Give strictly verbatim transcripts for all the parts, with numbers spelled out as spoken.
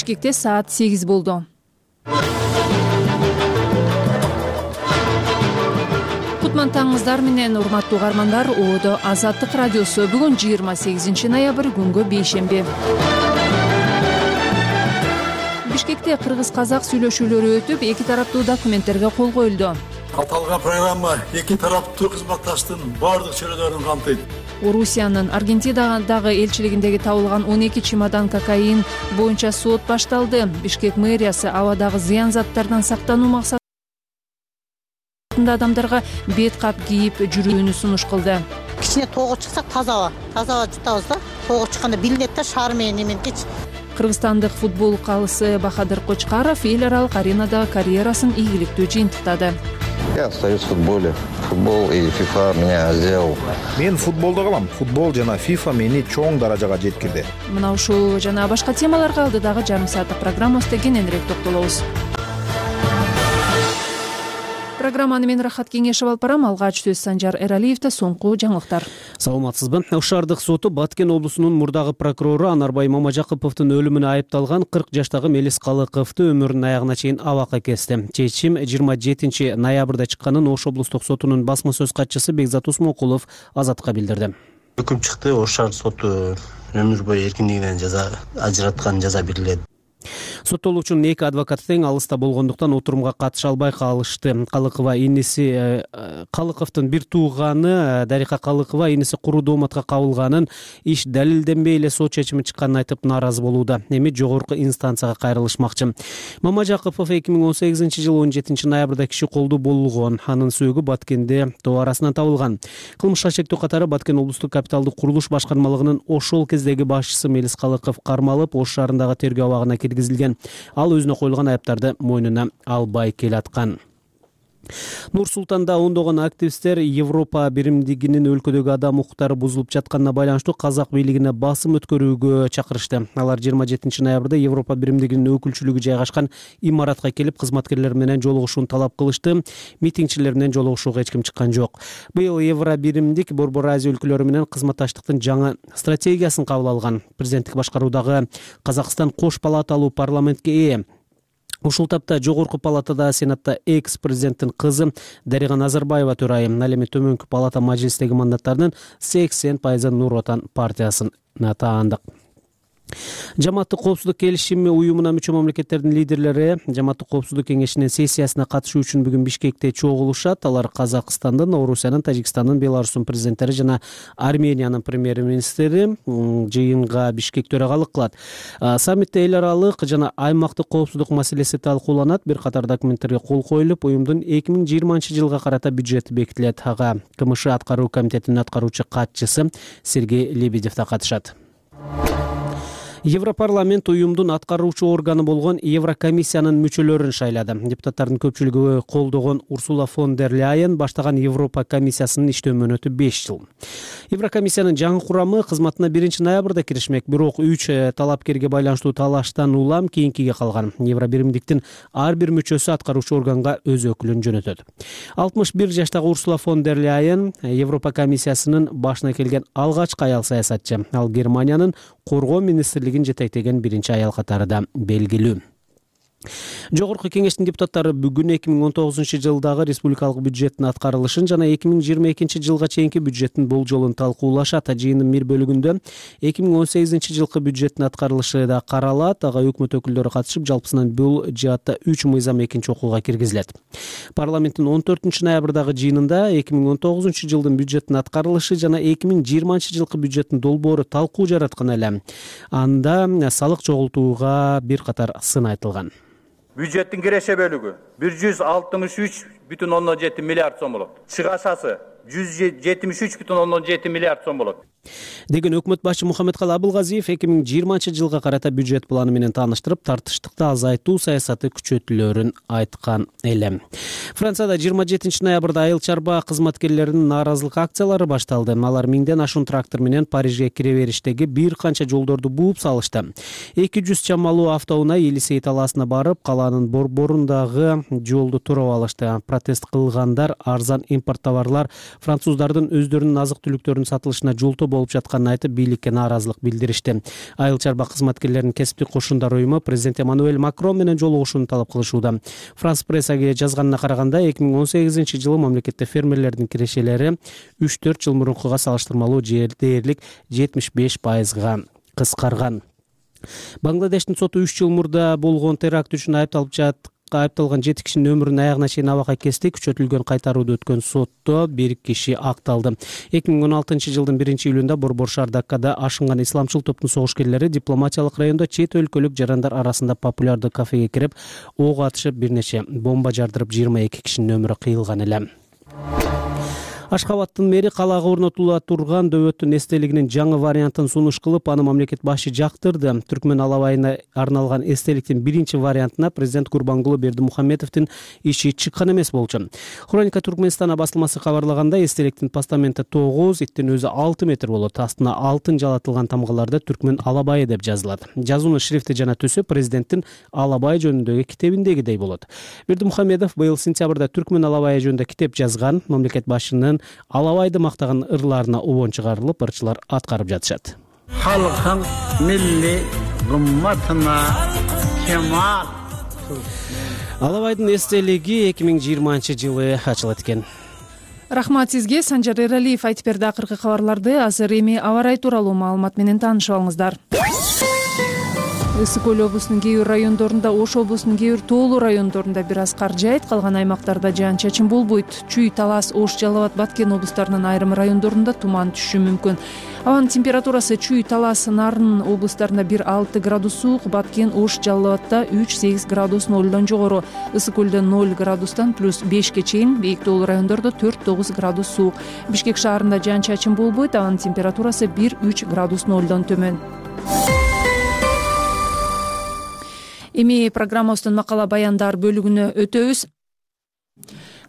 Бишкекте саат сегиз болду. Кутман таңыңыздар менен, урматтуу угармандар. Оодо Азаттык радиосу. Бүгүн жыйырма сегизинчи ноябрь, күнгө бейшемби. Бишкекте кыргыз-казак сүйлөшүүлөрү өтүп, эки тараптуу документтерге кол коюлду. Аталган программа эки тараптуу кызматташтын бардык чөйрөлөрүн камтыйт. Орусиянын Аргентинадагы элчилигиндеги табылган он эки чемодан кокаин боюнча сот башталды. Бишкек мэриясы абадагы зыян заттардан сактануу максатында адамдарга бет кап кийип жүрүүнү сунуш кылды. Кичине тоого чыксак таза аба, таза аба жутабыз да. Тоого чыкканда билинет да, шаар менен эменкичи. Кыргызстандык футбол калысы Бахадыр Кочкаров эл аралык аренада карьерасын ийгиликтүү жыйынтыктады. Я остаюсь в футболе. Футбол и FIFA меня сделал. Мен футболдо калам. Футбол жана FIFA мени чоң даражага жеткирди. Мына ушул жана башка темаларга алдыдагы жарым сааттык программабызда кененирээк токтолобуз. Программаны мен Рахат Кеңешев алып барам. Алгач сөз Санжар Эралиевде. Соңку жаңылыктар. Саламатсызбы? Ош шаардык соту Баткен облусунун мурдагы прокурору Анарбай Мамажакыповдун өлүмүнө айыпталган кырк жаштагы Мелис Калыковду өмүрүнүн аягына чейин абакка кести. Чечим жыйырма жетинчи ноябрда чыкканын Ош облустук сотунун басма сөз катчысы Бекзат Усмонкулов Азаттыкка билдирди. Өкүм чыкты. Ош шаардык соту өмүр бою эркиндигинен жаза ажыраткан жаза берилет. Соттолуучунун эки адвокаты тең алыста болгондуктан отурумга катыша албай калышты. Калыкова иниси Калыковдун бир тууганы Дарика Калыкова иниси куру дооматка кабылганын, иш далилденбей эле сот чечими чыкканын айтып нааразы болууда. Эми жогорку инстанцияга кайрылышмакчы. Мамажакыпов эки миң он сегизинчи жылы он жетинчи ноябрда киши колдуу болгон. Анын сөөгү Баткенде тоо арасынан табылган. Кылмышка шектүү катары Баткен облустук капиталдык курулуш башкармалыгынын ошол кездеги башчысы Мелис Калыков кармалып, Ош шаарындагы тергөө абагына киргизилген. Ал өзүнө коюлган айыптарды мойнуна албай келаткан. Нур Султанда ондогон активисттер Европа биримдигинин өлкөдөгү адам укуктары бузулуп жатканына байланыштуу казак бийлигине басым өткөрүүгө чакырышты. Алар жыйырма жетинчи ноябрда Европа биримдигинин өкүлчүлүгү жайгашкан имаратка келип, кызматкерлер менен жолугушууну талап кылышты. Митингчилер менен жолугушууга эч ким чыккан жок. Быйыл Евро биримдик Борбор Азия өлкөлөрү менен кызматташтыктын жаңы стратегиясын кабыл алган. Президенттик башкаруудагы Казакстан кош палаталуу парламентке ээ. Ушул тапта жогорку палатада Сенатта экс-президенттин кызы Дарига Назарбаева төрайым. Ал эми төмөнкү палата мажлистеги мандаттарынын сексен пайызын Нур Отан партиясына таандык. Жамааттык коопсуздук келишими уюмуна мүчө мамлекеттердин лидерлери Жамааттык коопсуздук кеңешинин сессиясына катышуу үчүн бүгүн Бишкекте чогулушат. Алар Казакстандын, Орусиянын, Тажикстандын, Беларустун президенттери жана Армениянын премьер-министри жыйынга Бишкек төрагалык кылат. Саммитте эл аралык жана аймактык коопсуздук маселеси талкууланат. Бир катар документтерге кол коюлуп, уюмдун эки миң жыйырманчы жылга карата бюджети бекитилет. Ага КМШ аткаруу комитетинин аткаруучу катчысы Сергей Лебедев да катышат. Европарламент уюмдун аткаруучу органы болгон Еврокомиссиянын мүчөлөрүн шайлады. Депутаттардын көпчүлүгү колдогон Урсула фон дер Ляйен баштаган Европа комиссиясынын иштөө мөөнөтү беш жыл. Еврокомиссиянын жаңы курамы кызматына биринчи ноябрда киришмек, бирок үч талапкерге байланыштуу талаштан улам кийинкиге калган. Евро биримдиктин ар бир мүчөсү аткаруучу органга өз өкүлүн жөнөтөт. алтымыш бир жаштагы Урсула фон дер Ляйен Европа комиссиясынын башына келген алгачкы аял саясатчы. Ал Германиянын коргоо министрлигин жетектеген биринчи аял катары да белгилүү. Жогорку кеңештин депутаттары бүгүн эки миң он тогузунчу жылдагы республикалык бюджеттин аткарылышын жана эки миң жыйырма экинчи жылга чейинки бюджеттин болжолун талкуулашат. Жыйындын бир бөлүгүндө эки миң он сегизинчи жылкы бюджеттин аткарылышы да каралат. Ага өкмөт өкүлдөрү катышып, жалпысынан бул жаатта үч мыйзам экинчи окууга киргизилет. Парламенттин он төртүнчү ноябрдагы жыйынында эки миң он тогузунчу жылдын бюджеттин аткарылышы жана эки миң жыйырманчы жылкы бюджеттин долбоору талкуу жараткан эле. Анда салык чогултууга бир катар сын айтылган. Бюджеттин киреше бөлүгү бир жүз алтымыш үч бүтүн ондон жети миллиард сом болот. Чыгашасы жүз жетимиш үч бүтүн ондон жети миллиард сом болот. Деген өкмөт башчы Мухаммедкалый Абылгазиев эки миң жыйырманчы жылга карата бюджет планы менен тааныштырып, тартыштыкты азайтуу саясаты күчөтүлөрүн айткан эле. Францияда жыйырма жетинчи ноябрда айыл чарба кызматкерлеринин нааразылык акциялары башталды. Алар миңден ашуун трактор менен Парижге кире бериштеги бир канча жолдорду бууп салышты. эки жүз чамалуу автоунаа Елисей талаасына барып, калаанын борборундагы жолду туруп алышты. Протест кылгандар арзан импорт товарлар француздардын өздөрүнүн азык түлүктөрүнүн сатылышына жолтоо болуп жатканын айтып, бийликке нааразылык билдиришти. Айыл чарба кызматкерлеринин кесиптик кошундар уюму президент Эммануэль Макрон менен жолугушууну талап кылышууда. Франс прессаге жазганына караганда, эки миң он сегизинчи жылы мамлекетте фермерлердин кирешелери үч төрт жыл мурункуга салыштырмалуу дээрлик жетимиш беш пайызга кыскарган. Бангладештин соту үч жыл мурда болгон теракт үчүн айыпталып жаткан айыпталган жети кишинин өмүрүн аягына чейин абакка кести. Күчөтүлгөн кайтарууда өткөн сотто бир киши акталды. эки миң он алтынчы жылдын биринчи июлунда Борбор шаар Даккада ашынган исламчыл топтун согушкерлери дипломатиялык райондо чет өлкөлүк жарандар арасында популярдуу кафеге кирип, ок атышып, бир нече бомба жардырып, жыйырма эки кишинин өмүрү кыйылган эле. Ашхабадтын мэри калаага орнотула турган дөбөттүн эстелигинин жаңы вариантын сунуш кылып, аны мамлекет башы жактырды. Түркмөн алабайына арналган эстеликтин биринчи вариантына президент Гурбангулы Бердимухамедовдун иши чыккан эмес болчу. Хроника Туркменстана басылмасы кабарлагандай, эстеликтин постаменти тогуз, иттин өзү алты метр болот. Астына алтын жалатылган тамгаларда Түркмөн алабайы деп жазылат. Жазуунун шрифти жана түсү президенттин Алабай жөнүндөгү китебиндегидей болот. Бердимухамедов быйыл сентябрда Түркмөн алабайы жөнүндө китеп жазган. Мамлекет башынын Алабайды мактаган ырларына убон чыгарылып, ырчылар аткарып жатышат. Халкың милли гымматына кемал. Алабайдын эстелиги эки миң жыйырманчы жылы ачылат экен. Рахмат сизге. Санжар Эралиев айтып берди акыркы кабарларды. Азыр эми аба ырайы тууралуу маалымат менен таанышып алыңыздар. Ысык көл облусунун кээ бир райондорунда, Ош облусунун кээ бир тоолуу райондорунда бир аз кар жаайт, калган аймактарда жаан-чачын болбойт. Чүй, Талас, Ош, Жалал Абад, Баткен облустарынын айрым райондорунда туман түшүшү мүмкүн. Абанын температурасы Чүй, Талас, Нарын облустарында бир алты градус суук, Баткен, Ош, Жалал Абадта үч сегиз градус нолдон жогору, Ысык көлдө ноль градустан плюс бешке чейин, бийик тоолуу райондордо төрт тогуз градус суук. Бишкек шаарында жаан-чачын болбойт, абанын температурасы бир үч градус нолдон төмөн. Эми программабыздын макала баяндар бөлүгүнө өтөбүз.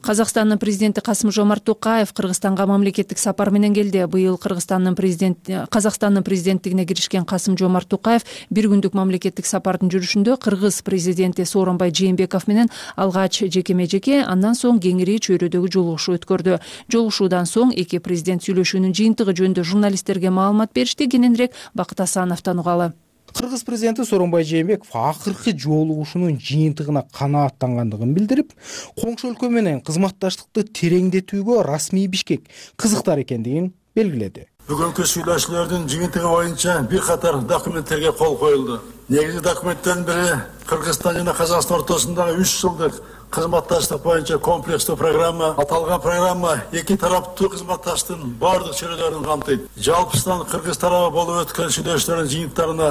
Казакстандын президенти Касым-Жомарт Токаев Кыргызстанга мамлекеттик сапар менен келди. Быйыл Кыргызстандын президенти Казакстандын президенттигине киришкен Касым-Жомарт Токаев бир күндүк мамлекеттик сапардын жүрүшүндө Кыргыз президенти Сооронбай Жээнбеков менен алгач жекеме-жеке, андан соң кеңири чөйрөдөгү жолугушуу өткөрдү. Жолугушуудан соң эки президент сүйлөшүүнүн жыйынтыгы жөнүндө журналисттерге маалымат беришти. Кененирээк Бакыт Асановдон угалы. Кыргыз президенти Сооронбай Жээнбеков акыркы жолугушуунун жыйынтыгына канааттангандыгын билдирип, коңшу өлкө менен кызматташтыкты тереңдетүүгө расмий Бишкек кызыктар экендигин белгиледи. Бүгүнкү сүйлөшүүлөрдүн жыйынтыгы боюнча бир катар документтерге кол коюлду. Негизги документтин бири Кыргызстан жана Казакстан ортосундагы үч жылдык кызматташтык боюнча комплекстүү программа. Аталган программа эки тараптуу кызматташтын бардык чөйрөлөрүн камтыйт. Жалпысынан Кыргыз тарабы болуп өткөн сүйлөшүүлөрдүн жыйынтыктарына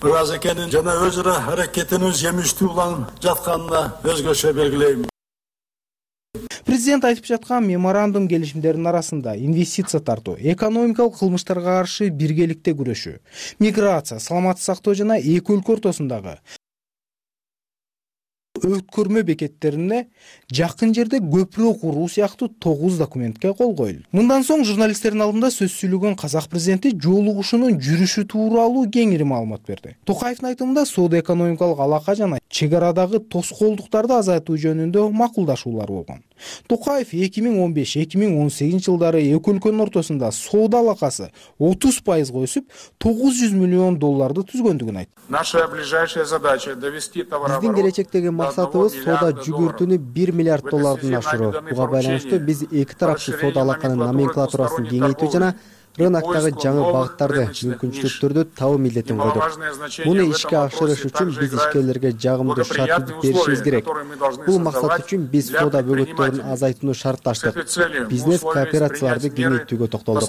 ыраз экенин жана өз ара аракетинин жемиштүү уланып жатканына өзгөчө белгилейм. Президент айтып жаткан меморандум келишимдердин арасында инвестиция тартуу, экономикалык кылмыштарга каршы биргеликте күрөшүү, миграция, саламаттык сактоо жана эки өлкө ортосундагы өткөрмө бекеттерине жакын жерде көпүрө куруу сыяктуу тогуз документке кол коюлду. Мындан соң журналисттердин алдында сөз сүйлөгөн казак президенти жолугушуунун жүрүшү тууралуу кеңири маалымат берди. Токаевдин айтымында соода-экономикалык алака жана чек арадагы тоскоолдуктарды азайтуу жөнүндө макулдашуулар болгон. Токаев эки миң он беш эки миң он сегизинчи жылдары эки өлкөнүн ортосунда соода алакасы отуз пайызга өсүп, тогуз жүз миллион долларды түзгөндүгүн айтты. Наша ближайшая задача довести товарооборот. Биздин келечектеги максатыбыз соода жүгүртүүнү бир миллиард доллардан ашыруу. Буга байланыштуу биз эки тараптуу соода алаканын номенклатурасын кеңейтүү жана рыноктогу жаңы багыттарды, мүмкүнчүлүктөрдү табуу милдетин койдук. Муну ишке ашырыш үчүн биз ишкерлерге жагымдуу шарттарды беришибиз керек. Бул максат үчүн биз соода бөгөттөрүн азайтууну шартташтык. Бизнес кооперацияларды кеңейтүүгө токтолдук.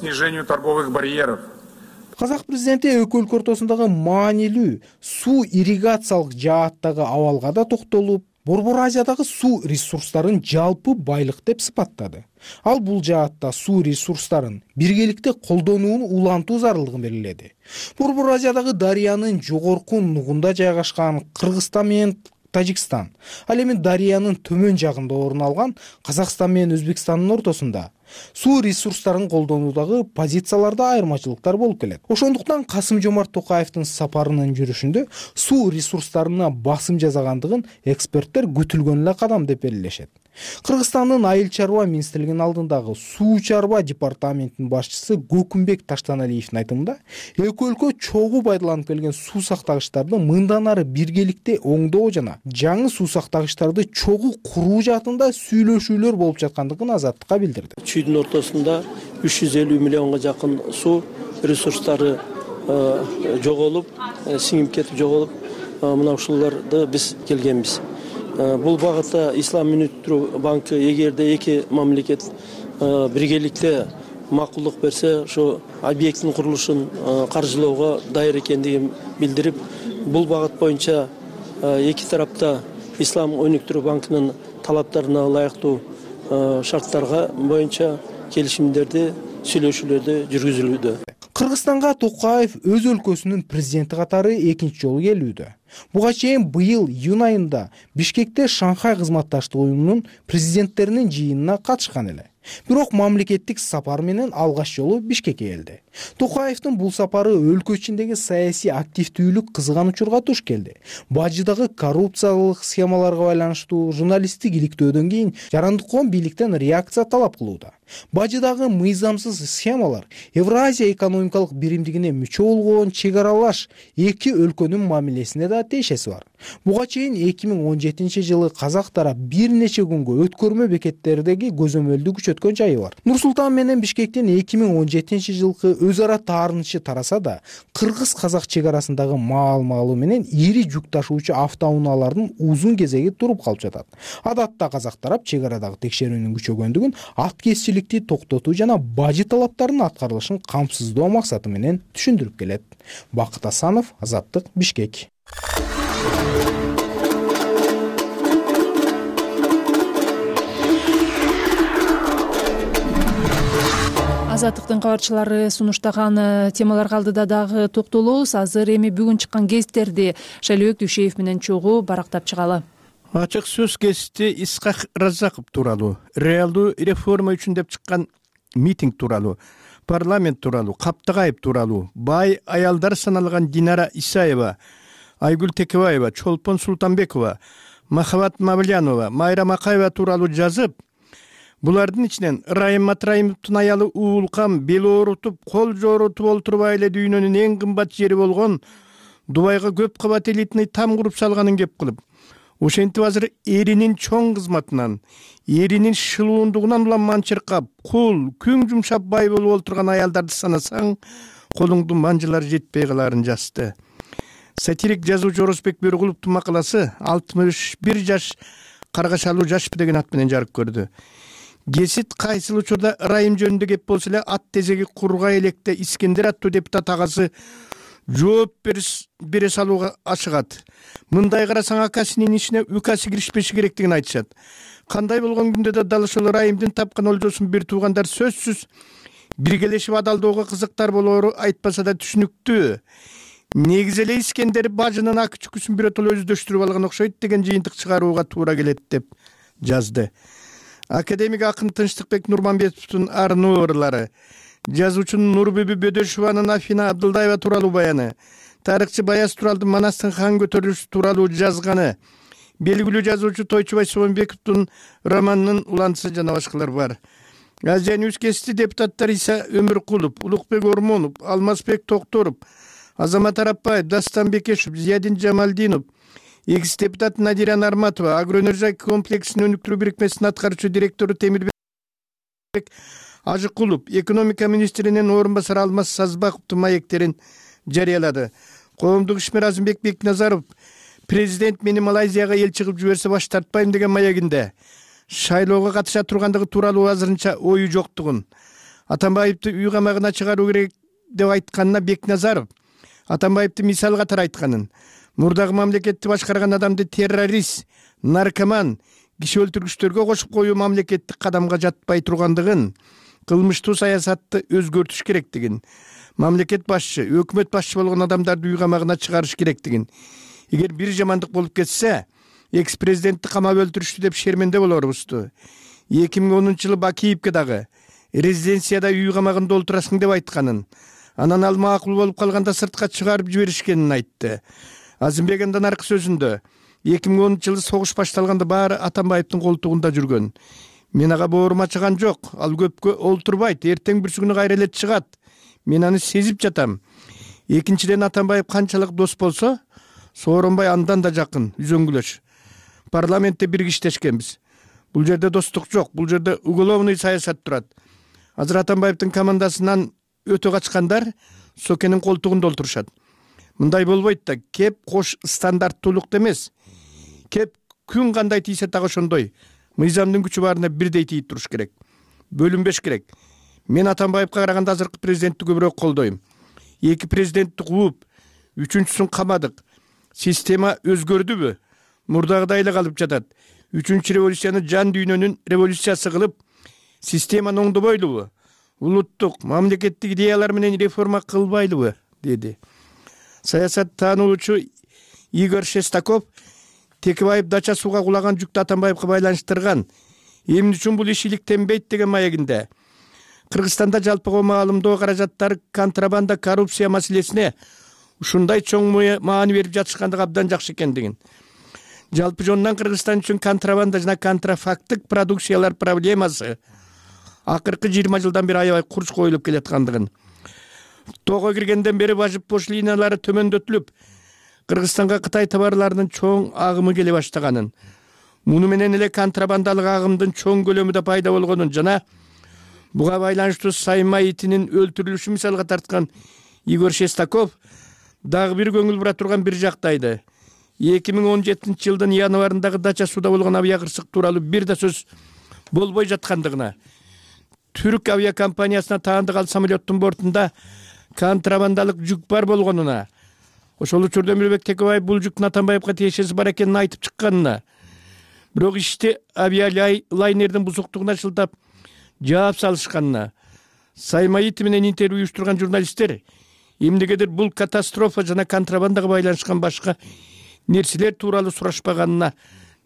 Казак президенти эки өлкө ортосундагы маанилүү суу ирригациялык жааттагы абалга да токтолуп, Борбор Азиядагы суу ресурстарын жалпы байлык деп сыпаттады. Ал бул жаатта суу ресурстарын биргеликте колдонууну улантуу зарылдыгын белгиледи. Борбор Азиядагы дарыянын жогорку нугунда жайгашкан Кыргызстан менен Тажикстан, ал эми дарыянын төмөн жагында орун алган Казакстан менен Өзбекстандын ортосунда суу ресурстарын колдонуудагы позицияларда айырмачылыктар болуп келет. Ошондуктан Касым-Жомарт Токаевдин сапарынын жүрүшүндө суу ресурстарына басым жасагандыгын эксперттер күтүлгөн эле кадам деп белгилешет. Кыргызстандын айыл чарба министрлигинин алдындагы суу чарба департаментинин башчысы Көкүмбек Таштаналиевдин айтымында, эки өлкө чогуу пайдаланып келген суу сактагычтарды мындан ары биргеликте оңдоо жана жаңы суу сактагычтарды чогуу куруу жаатында сүйлөшүүлөр болуп жаткандыгын Азаттыкка билдирди. Чүйдүн ортосунда үч жүз элүү миллионго жакын суу ресурстары жоголуп, сиңип кетип жоголуп, мына ушуларды биз келгенбиз. Бул багытта Ислам өнүктүрүү банкы эгерде эки мамлекет биргеликте макулдук берсе, ошо объекттин курулушун каржылоого даяр экендигин билдирип, бул багыт боюнча эки тарапта Ислам өнүктүрүү банкынын талаптарына ылайыктуу шарттарга боюнча келишимдерди, сүйлөшүүлөрдү жүргүзүлүүдө. Кыргызстанга Токаев өз өлкөсүнүн президенти катары экинчи жолу келүүдө. Буга чейин быйыл июнь айында Бишкекте Шанхай кызматташтык уюмунун президенттеринин жыйынына катышкан эле. Бирок мамлекеттик сапар менен алгач жолу Бишкекке келди. Токаевдин бул сапары өлкө ичиндеги саясий активдүүлүк кызган учурга туш келди. Бажыдагы коррупциялык схемаларга байланыштуу журналисттик иликтөөдөн кийин Жарандыккон бийликтен реакция талап кылууда. Бажыдагы мыйзамсыз схемалар Евразия экономикалык биримдигине мүчө болгон чек аралаш эки өлкөнүн мамилесине да тиешеси бар. Буга чейин эки миң он жетинчи жылы казак тарап бир нече күнгө өткөрмө бекеттердеги көзөмөлдү күчөткөн жайы бар. Нур-Султан менен Бишкектин эки миң он жетинчи жылкы өз ара таарынычы тараса да, кыргыз-казак чек арасындагы маал-маалы менен ири жүк ташуучу автоунаалардын узун кезеги туруп калып жатат. Адатта казак тарап чек арадагы текшерүүнүн күчөгөндүгүн, ат кесчиликти токтотуу жана бажы талаптарынын аткарылышын камсыздоо максаты менен түшүндүрүп келет. Бакыт Асанов, Азаттык, Бишкек. Азаттыктын кабарчылары сунуштаган темаларга алдыда дагы токтолобуз. Азыр эми бүгүн чыккан гезиттерди Шайлообек Дүйшеев менен чогуу барактап чыгалы. Ачык сөз гезити Исхак Разаков тууралуу, реалдуу реформа үчүн деп чыккан митинг тууралуу, парламент тууралуу, Каптыгаев тууралуу, бай аялдар саналган Динара Исаева, Айгүл Текебаева, Чолпон Султанбекова, Махабат Мавлянова, Майра Макаева тууралуу жазып, булардын ичинен Райым Матраимовдун аялы Уулкам бели оорутуп, кол жоорутуп олтурбай эле дүйнөнүн эң кымбат жери болгон Дубайга көп кабат элитный там куруп салганын кеп кылып, ошентип азыр эринин чоң кызматынан, эринин шылуундугунан улам манчыркап, кул, күң жумшап бай болуп олтурган аялдарды санасаң, колуңдун манжылары жетпей каларын жазды. Сатирик жазуучу Орозбек Бөркуловдун макаласы алтымыш бир жаш каргашалуу жашпы деген ат менен жарык көрдү. Гесит кайсыл учурда Райым жөнүндө кеп болсо эле ат тезеги кургай электе Искендер аттуу депутат агасы жооп бере салууга ашыгат. Мындай карасаң акасынын ишине укасы киришпеши керектигин айтышат. Кандай болгон күндө да дал ошол Райымдын тапкан олжосун бир туугандар сөзсүз биргелешип адалдоого кызыктар болоору айтпаса да түшүнүктүү. Негизи эле Искендер бажынын ак чүкүсүн биротоло өздөштүрүп алган окшойт деген жыйынтык чыгарууга туура келет деп жазды. Академик акын Тынчтыкбек Нурманбетовдун арнуу ырлары, жазуучунун Нурбүбү Бөдөшованын Афина Абдылдаева тууралуу баяны, тарыхчы Баяз Туралдын Манастын хан көтөрүлүшү тууралуу жазганы, белгилүү жазуучу Тойчубай Собонбековдун романынын улантысы жана башкалар бар. Азия Ньюс гезити депутаттар Иса Өмүркулов, Улукбек Ормонов, Алмазбек Токторов, Азамат Арапбаев, Дастан Бекешев, Зиядин Жамалдинов, экс-депутат Надира Нарматова, Агроэнергия комплексинин өнүктүрүү бирикмесинин аткаруучу директору Темирбек Ажыкулов, экономика министринин орун басары Алмаз Сазбаковдун маектерин жарыялады. Коомдук ишмер Азымбек Бекназаров президент мени Малайзияга элчи кылып жиберсе баш тартпайм деген маегинде шайлоого катыша тургандыгы тууралуу азырынча ою жоктугун, Атамбаевди үй камагына чыгаруу керек деп айтканына Бекназаров Атамбаевди мисал катары айтканын, мурдагы мамлекетти башкарган адамды террорист, наркоман, киши өлтүргүчтөргө кошуп коюу мамлекеттик кадамга жатпай тургандыгын, кылмыштуу саясатты өзгөртүш керектигин, мамлекет башчы, өкмөт башчы болгон адамдарды үй камагына чыгарыш керектигин, эгер бир жамандык болуп кетсе, экс-президентти камап өлтүрүштү деп шерменде болорубузду. эки миң онунчу жылы Бакиевке дагы резиденцияда үй камагында олтурасың деп айтканын, анан ал макул болуп калганда сыртка чыгарып жиберишкенин айтты. Азымбек андан аркы сөзүндө эки миң онунчу жылы согуш башталганда баары Атамбаевдин колтугунда жүргөн. Мен ага боорум ачыган жок. Ал көпкө олтурбайт, эртең бүрсү күнү кайра эле чыгат. Мен аны сезип жатам. Экинчиден, Атамбаев канчалык дос болсо, Сооронбай андан да жакын, үзөңгүлөш. Парламентте бирге иштешкенбиз. Бул жерде достук жок, бул жерде уголовный саясат турат. Азыр Атамбаевдин командасынан өтө качкандар Сокенин колтугунда олтурушат. Мындай болбойт да, кеп кош стандарттуулукта эмес. Кеп күн кандай тийсе так ошондой. Мыйзамдын күчү баарына бирдей тийип туруш керек. Бөлүнбеш керек. Мен Атамбаевка караганда азыркы президентти көбүрөөк колдойм. Эки президентти кууп, үчүнчүсүн камадык. Система өзгөрдүбү? Мурдагыдай эле калып жатат. Үчүнчү революцияны жан дүйнөнүн революциясы кылып, системаны оңдобойлубу? Улуттук, мамлекеттик идеялар менен реформа кылбайлыбы? Деди. Саясат таануучу Игорь Шестаков Текебаев дача сууга кулаган жүктү Атамбаевка байланыштырган. Эмне үчүн бул иш иликтенбейт деген маегинде. Кыргызстанда жалпыга маалымдоо каражаттары контрабанда, коррупция маселесине ушундай чоң маани берип жатышкандыгы абдан жакшы экендигин. Жалпы жонунан Кыргызстан үчүн контрабанда жана контрафакттык продукциялар проблемасы акыркы жыйырма жылдан бери аябай курч коюлуп келаткандыгын. Тоого киргенден бери важып пошлиналары төмөндөтүлүп, Кыргызстанга Кытай товарларынын чоң агымы келе баштаганын, муну менен эле контрабандалык агымдын чоң көлөмү да пайда болгонун жана буга байланыштуу сайма итинин өлтүрүлүшү мисалга тарткан Игорь Шестаков дагы бир көңүл бура турган бир жактайды. эки миң он жетинчи жылдын январындагы дача сууда болгон авиакырсык тууралуу бир да сөз болбой жаткандыгына, түрк авиакомпаниясына таандык ал самолеттун бортунда контрабандалык жүк бар болгонуна, ошол учурда Өмүрбек Текебаев бул жүктүн Атамбаевка тиешеси бар экенин айтып чыкканына, бирок ишти авиалайнердин бузуктугуна шылтап жаап салышканына, сайма ити менен интервью уюштурган журналисттер эмнегедир бул катастрофа жана контрабандага байланышкан башка нерселер тууралуу сурашпаганына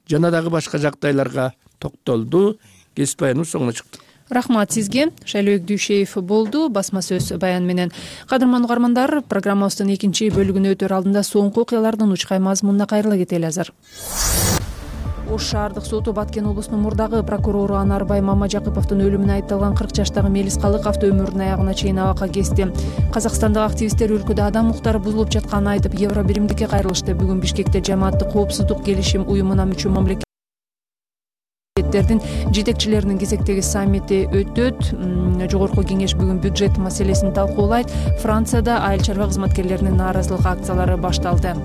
жана дагы башка жагдайларга токтолду. Кесип баяныбыз соңуна чыкты. Рахмат сизге. Шайлообек Дүйшеев болду басма сөз баян менен. Кадырман угармандар, программабыздын экинчи бөлүгүнө өтөр алдында соңку окуялардын учкай мазмунуна кайрыла кетели азыр. Ош шаардык соту Баткен облусунун мурдагы прокурору Анарбай Мамажакыповдун өлүмүнө айыпталган кырк жаштагы Мелис Калыковду өмүрүнүн аягына чейин абакка кести. Казакстандык активисттер өлкөдө адам укуктары бузулуп жатканын айтып, Евро биримдикке кайрылышты. Бүгүн Бишкекте жамааттык коопсуздук келишим уюмуна мүчө мамлекет жетекчилеринин кезектеги саммити өтөт. Жогорку кеңеш бүгүн бюджет маселесин талкуулайт. Францияда айыл чарба кызматкерлеринин нааразылык акциялары башталды.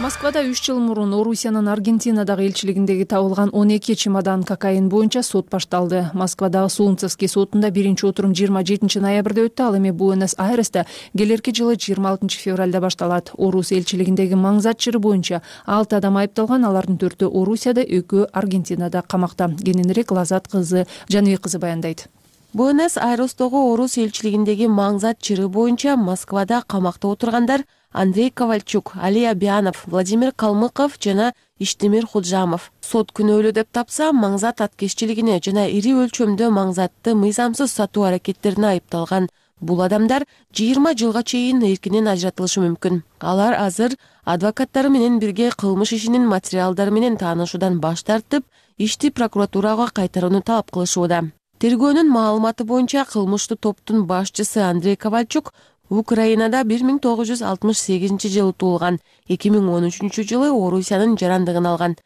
Москвада үч жыл мурун Орусиянын Аргентинадагы элчилигиндеги табылган он эки чемодан кокаин боюнча сот башталды. Москвадагы Солнцевский сотунда биринчи отурум жыйырма жетинчи ноябрда өттү. Ал эми Буэнос-Айресте келерки жылы жыйырма алтынчы февралда башталат. Орус элчилигиндеги маңзат жыры боюнча алты адам айыпталган, алардын төртөө Орусияда, экөө Аргентинада камакта. Кененирээк Лазат кызы Жаныбек кызы баяндайт. Буэнос-Айрестогу Орус элчилигиндеги маңзат чыры боюнча Москвада камакта отургандар Андрей Ковальчук, Али Абианов, Владимир Калмыков жана Иштемир Худжамов. Сот күнөөлүү деп тапса, маңзат аткезчилигине жана ири өлчөмдө маңзатты мыйзамсыз сатуу аракеттерине айыпталган бул адамдар жыйырма жылга чейин эркинен ажыратылышы мүмкүн. Алар азыр адвокаттары менен бирге кылмыш ишинин материалдары менен таанышуудан баш тартып, ишти прокуратурага кайтарууну талап кылышууда. Тергөөнүн маалыматы боюнча кылмыштуу топтун башчысы Андрей Ковальчук Украинада бир миң тогуз жүз алтымыш сегизинчи жылы туулган, эки миң он үчүнчү жылы Орусиянын жарандыгын алган.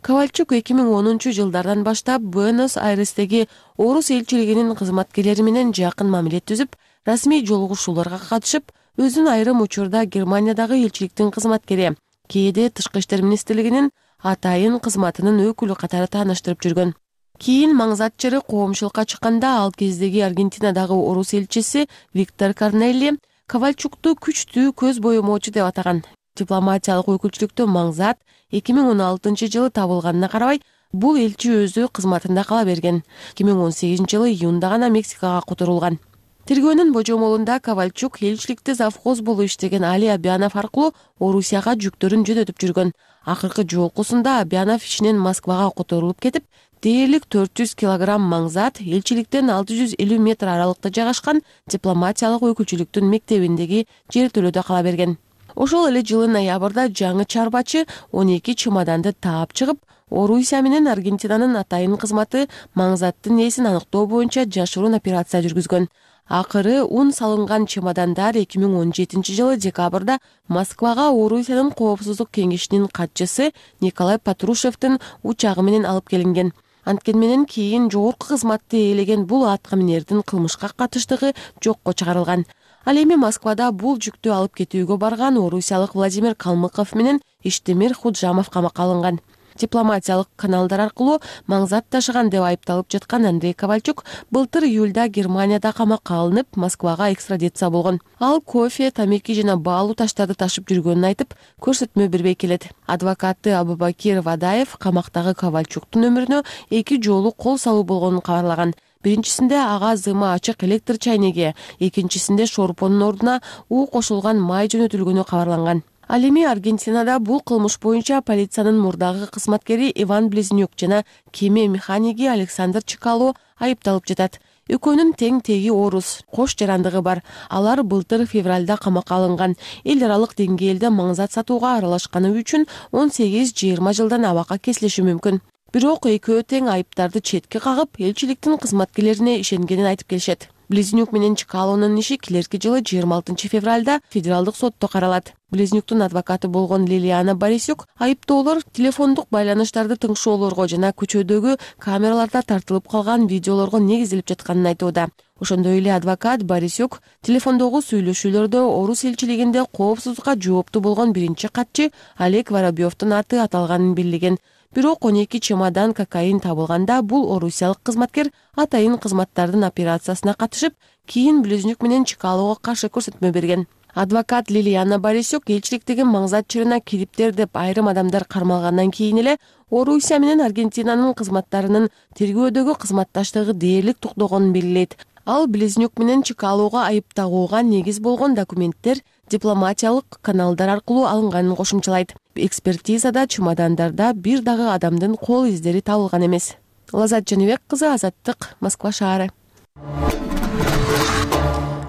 Ковальчук эки миң онунчу жылдардан баштап Буэнос-Айрестеги Орус элчилигинин кызматкерлери менен жакын мамиле түзүп, расмий жолугушууларга катышып, өзүн айрым учурда Германиядагы элчиликтин кызматкери, кээде Тышкы иштер министрлигинин атайын кызматынын өкүлү катары тааныштырып жүргөн. Кийин маңзат чыры коомчулукка чыкканда ал кездеги Аргентинадагы Орус элчиси Виктор Корнелли Ковальчукту күчтүү көз боемоочу деп атаган. Дипломатиялык өкүлчүлүктө маңзат эки миң он алтынчы жылы табылганына карабай, бул элчи өзү кызматында кала берген. эки миң он сегизинчи жылы июнда гана Мексикага которулган. Тергөөнүн божомолунда Ковальчук элчиликте завхоз болуп иштеген Али Абианов аркылуу Орусияга жүктөрүн жөнөтүп жүргөн. Акыркы жолкусунда Абианов ичинен Москвага которулуп кетип, дээрлик төрт жүз килограмм маңзат элчиликтен алты жүз элүү метр аралыкта жайгашкан дипломатиялык өкүлчүлүктүн мектебиндеги жертөлөдө кала берген. Ошол эле жылы ноябрда жаңы чарбачы он эки чемоданды таап чыгып, Орусия менен Аргентинанын атайын кызматы маңзаттын ээсин аныктоо боюнча жашыруун операция жүргүзгөн. Акыры ун салынган чемодандар эки миң он жетинчи жылы декабрда Москвага Орусиянын коопсуздук кеңешинин катчысы Николай Патрушевдин учагы менен алып келинген. Анткени менен кийин жогорку кызматты ээлеген бул атка минердин кылмышка катыштыгы жокко чыгарылган. Ал эми Москвада бул жүктү алып кетүүгө барган орусиялык Владимир Калмыков менен Иштемир Худжамов камакка алынган. Дипломатиялык каналдар аркылуу маңзат ташыган деп айыпталып жаткан Андрей Ковальчук былтыр июлда Германияда камакка алынып, Москвага экстрадиция болгон. Ал кофе, тамеки жана баалуу таштарды ташып жүргөнүн айтып, көрсөтмө бербей келет. Адвокаты Абубакир Вадаев камактагы Ковальчуктун өмүрүнө эки жолу кол салуу болгонун кабарлаган. Биринчисинде ага зымы ачык электр чайнеги, экинчисинде шорпонун ордуна у кошулган май жөнөтүлгөнү кабарланган. Ал эми Аргентинада бул кылмыш боюнча полициянын мурдагы кызматкери Иван Близнюк жана кеме механиги Александр Чекало айыпталып жатат. Экөөнүн тең теги орус, кош жарандыгы бар. Алар былтыр февралда камакка алынган. Эл аралык деңгээлде маңзат сатууга аралашканы үчүн он сегиз жыйырма жылдан абакка кесилиши мүмкүн. Бирок экөө тең айыптарды четке кагып, элчиликтин кызматкерлерине ишенгенин айтып келишет. Близнюк менен Чекалонун иши келерки жылы жыйырма алтынчы февралда федералдык сотто каралат. Близнюктун адвокаты болгон Лилиана Борисюк айыптоолор телефондук байланыштарды тыңшоолорго жана көчөдөгү камераларда тартылып калган видеолорго негизделип жатканын айтууда. Ошондой эле адвокат Борисюк телефондогу сүйлөшүүлөрдө орус элчилигинде коопсуздукка жооптуу болгон биринчи катчы Олег Воробьевдун аты аталганын билдирген. Бирок он эки чемодан кокаин табылганда бул орусиялык кызматкер атайын кызматтардын операциясына катышып, кийин Близнюк менен Чекалого каршы көрсөтмө берген. Адвокат Лилиана Борисюк элчиликтеги маңзат чырына кириптер деп айрым адамдар кармалгандан кийин эле Орусия менен Аргентинанын кызматтарынын тергөөдөгү кызматташтыгы дээрлик токтогонун белгилейт. Ал Близнюк менен Чекалого айып тагууга негиз болгон документтер дипломатиялык каналдар аркылуу алынганын кошумчалайт. Экспертизада чемодандарда бир дагы адамдын кол издери табылган эмес. Лазат Жаныбек кызы, Азаттык, Москва шаары.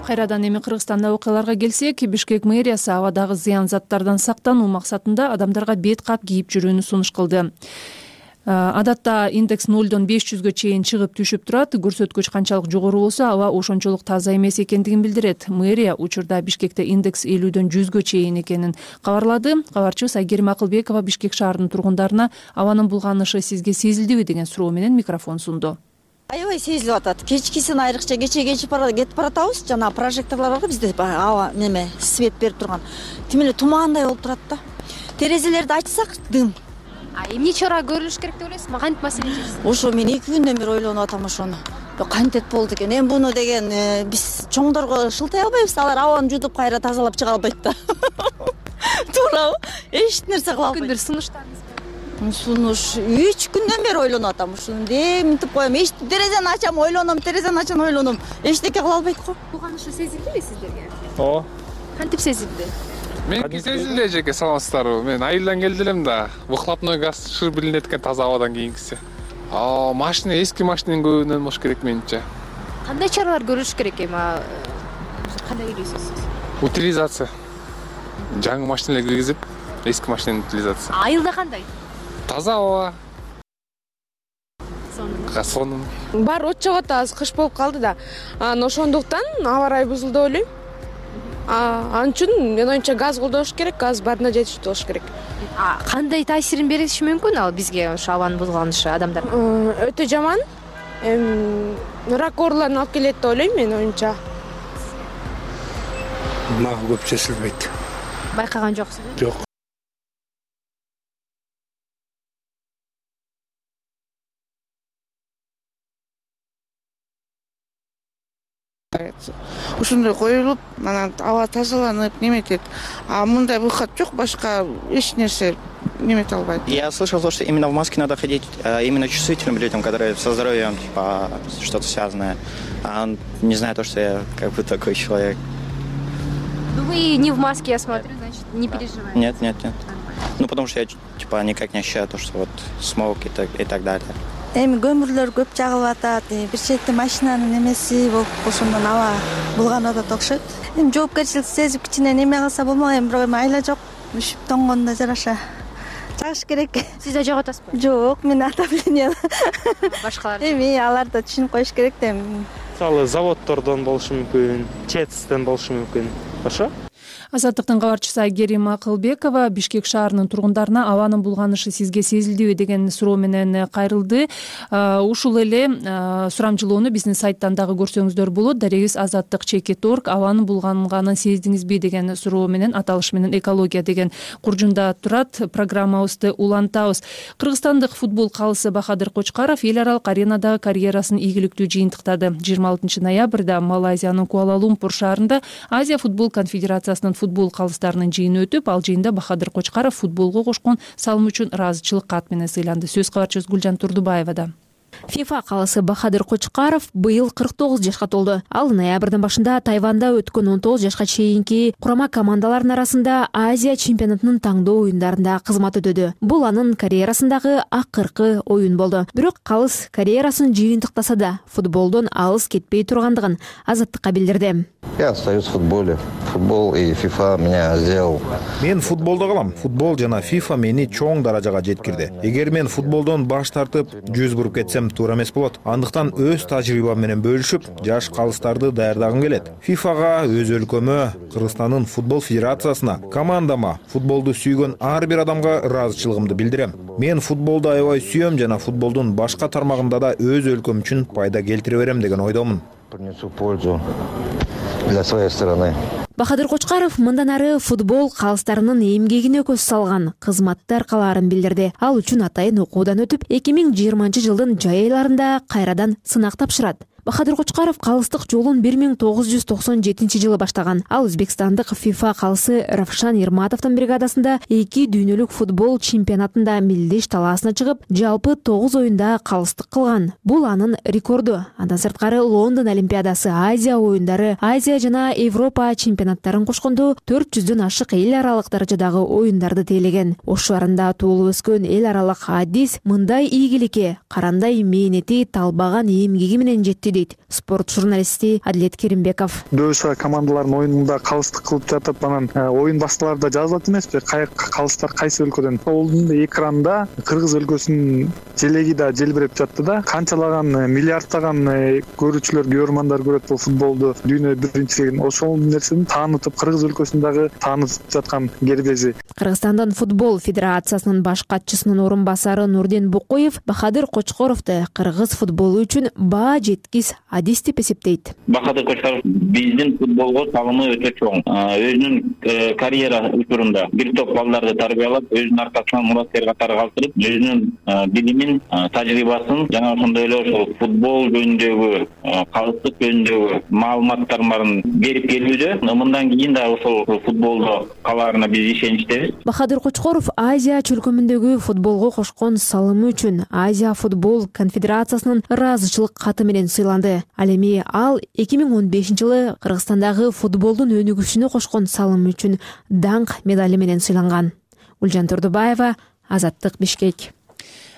Кайрадан эми Кыргызстанда окуяларга келсек, Бишкек мэриясы абадагы зыян заттардан сактануу максатында адамдарга бет кап кийип жүрүүнү сунуш кылды. Адатта индекс нолдон беш жүзгө чейин чыгып түшүп турат. Көрсөткүч канчалык жогору болсо, аба ошончолук таза эмес экендигин билдирет. Мэрия учурда Бишкекте индекс элүүдөн жүзгө чейин экенин кабарлады. Кабарчыбыз Айгерим Акылбекова Бишкек шаарынын тургундарына абанын булганышы сизге сезилдиби деген суроо менен микрофон сунду. Аябай сезилип атат. Кечкисин айрыкча кече кечип кетип баратабыз. Жана прожекторлор барго бизде аба неме свет берип турган. Тим эле тумаандай болуп турат да. Терезелерди ачсак дым. А эмне чара көрүлүш керек деп ойлойсуз? Кантип маселе чечесиз? Ошо мен эки күндөн бери ойлонуп атам ошону. Кантет болду экен. Эми буну деген биз чоңдорго шылтай албайбыз. Алар абаны жутуп кайра тазалап чыга албайт да. Туурабы? Эч нерсе кыла албайт. Күндүр сунуштарыңыз бар? Сунуш үч күндөн бери ойлонуп атам. Ушуну деминтип коем. Эч терезени ачам, ойлоном, терезени ачам, ойлоном. Эчтеке кыла албайт го. Булганышы сезилдиби сиздерге? Ооба. Кантип сезилди? Меники сезилди эжеке, саламатсыздарбы? Мен айылдан келди элем да. Выхлопной газ шыр билинет экен таза абадан кийинкиси. А машина, эски машинанын көбүнөн болуш керек менимче. Кандай чаралар көрүлүш керек эми? Кандай ойлойсуз сиз? Утилизация. Жаңы машиналар киргизип, эски машинанын утилизациясы. Айылда кандай? Таза аба. Сонун. Сонун. Бар от жагат, азыр кыш болуп калды да. Анан ошондуктан аба ырайы бузулду деп ойлойм. Ал үчүн мен оюмча газ колдош керек, газ баарына жетиштүү болуш керек. А кандай таасирин бериши мүмкүн ал бизге ошо абанын бузулганышы адамдар? Өтө жаман. Эми рак ооруларын алып келет деп ойлойм мен оюмча. Мага көп сезилбейт. Байкаган жоксузбу? Жок. Ушундай коюлуп, анан аба тазаланып, неметет. А мындай выход жок, башка эч нерсе немете албайт. Я слышал то, что именно в маске надо ходить именно чувствительным людям, которые со здоровьем, типа, что-то связанное. А он не знает то, что я как бы такой человек. Ну вы не в маске, я смотрю, значит, не переживаете. Нет, нет, нет. Ну потому что я, типа, никак не ощущаю то, что вот смог и так, и так далее. эми көмүрлөр көп жагылып атат, бир чети машинанын эмеси болуп ошондон аба булганып атат окшойт. Эми жоопкерчилик сезип кичине неме кылса болмок, эми бирок эми айла жок. Үшүп тоңгондо жараша жагыш керек. Сиз да жогот атасызбы? Жок, мен отопление. Башкалар эми алар да түшүнүп коюш керек да эми. Мисалы заводдордон болушу мүмкүн, ЧЭЦтен болушу мүмкүн. Ошо? Азаттыктын кабарчысы Айгерим Акылбекова Бишкек шаарынын тургундарына абанын булганышы сизге сезилдиби деген суроо менен кайрылды. Ушул эле сурамжылоону биздин сайттан дагы көрсөңүздөр болот. Дарегибиз азаттык чекит точка орг. Абанын булганганын сездиңизби деген суроо менен, аталыш менен экология деген куржунда турат. Программабызды улантабыз. Кыргызстандык футбол калысы Бахадыр Кочкаров эл аралык аренадагы карьерасын ийгиликтүү жыйынтыктады. жыйырма алтынчы ноябрда Малайзиянын Куала-Лумпур шаарында Азия футбол конфедерациясынын футбол калыстарынын жыйыны өтүп, ал жыйында Бахадыр Кочкаров футболго кошкон салымы үчүн ыраазычылык кат менен сыйланды. Сөз кабарчыбыз Гүлжан Турдубаевада. ФИФА калысы Бахадыр Кочкаров быйыл кырк тогуз жашка толду. Ал ноябрдын башында Тайванда өткөн он тогуз жашка чейинки курама командалардын арасында Азия чемпионатынын таңдоо оюндарында кызмат өтөдү. Бул анын карьерасындагы акыркы оюн болду. Бирок калыс карьерасын жыйынтыктаса да футболдон алыс кетпей тургандыгын Азаттыкка билдирди. Я остаюсь в футболе. Футбол и ФИФА меня сделал. Мен футболдо калам. Футбол жана ФИФА мени чоң даражага жеткирди. Эгер мен футболдон баш тартып, жүз буруп кетсем туура эмес болот. Андыктан өз тажрыйбам менен бөлүшүп, жаш калыстарды даярдагым келет. ФИФАга, өз өлкөмө, Кыргызстандын футбол федерациясына, командама, футболду сүйгөн ар бир адамга ыраазычылыгымды билдирем. Мен футболду аябай сүйөм жана футболдун башка тармагында да өз өлкөм үчүн пайда келтире берем деген ойдомун. Принесу пользу для своей страны. Бахадыр Кочкаров мындан ары футбол калыстарынын эмгегине көз салган, кызматты аркалаарын билдирди. Ал үчүн атайын окуудан өтүп, эки миң жыйырманчы жылдын жай айларында кайрадан сынак тапшырат. Бахадыр Кочкаров калыстык жолун бир миң тогуз жүз токсон жетинчи жылы баштаган. Ал өзбекстандык ФИФА калысы Равшан Ерматовдун бригадасында эки дүйнөлүк футбол чемпионатында милдеш талаасына чыгып, жалпы тогуз оюнда калыстык кылган. Бул анын рекорду. Андан сырткары Лондон Олимпиадасы, Азия оюндары, Азия жана Европа чемпионаттарын кошкондо төрт жүздөн ашык эл аралык даражадагы оюндарды тейлеген. Ош шаарында туулуп өскөн эл аралык Адис мындай ийгиликке карандай мээнети, талбаган эмгеги менен жетти дейт спорт журналисти Адилет Керимбеков. Дөшө командалардын оюнунда калыстык кылып жатып, анан оюн башталарда жазылат эмеспи? Кай калыстар кайсы өлкөдөн? Ол экранда Кыргыз өлкөсүнүн желеги да желбиреп жатты да. Канчалаган миллиардтаган көрүүчүлөр, көрөрмандар көрөт бул футболду, дүйнө биринчилигин. Ошол нерсени таанытып, Кыргыз өлкөсүндагы таанытып жаткан кербези. Кыргызстандын футбол федерациясынын баш катчысынын орун басары Нурден Букоев Бахадыр Кочкоровду кыргыз футболу үчүн баа жеткис адис деп эсептейт. Бахадыр Кочкаров биздин футболго салымы өтө чоң. Өзүнүн карьера учурунда бир топ балдарды тарбиялап, өзүнүн аркасынан мураттер катары калтырып, өзүнүн билимин, тажрыйбасын жана ошондой эле ошол футбол жөнүндөгү, калыстык жөнүндөгү маалыматтарын берип келүүдө. Мындан кийин да ошол футболдо калаарына биз ишеничтебиз. Бахадыр Кочкоров Азия чөлкөмүндөгү футболго кошкон салымы үчүн Азия футбол конфедерациясынын ыраазычылык каты менен сыйланды. Ал эми ал эки миң он бешинчи жылы Кыргызстандагы футболдун өнүгүшүнө кошкон салымы үчүн даңк медали менен сыйланган. Гүлжан Турдубаева, Азаттык, Бишкек.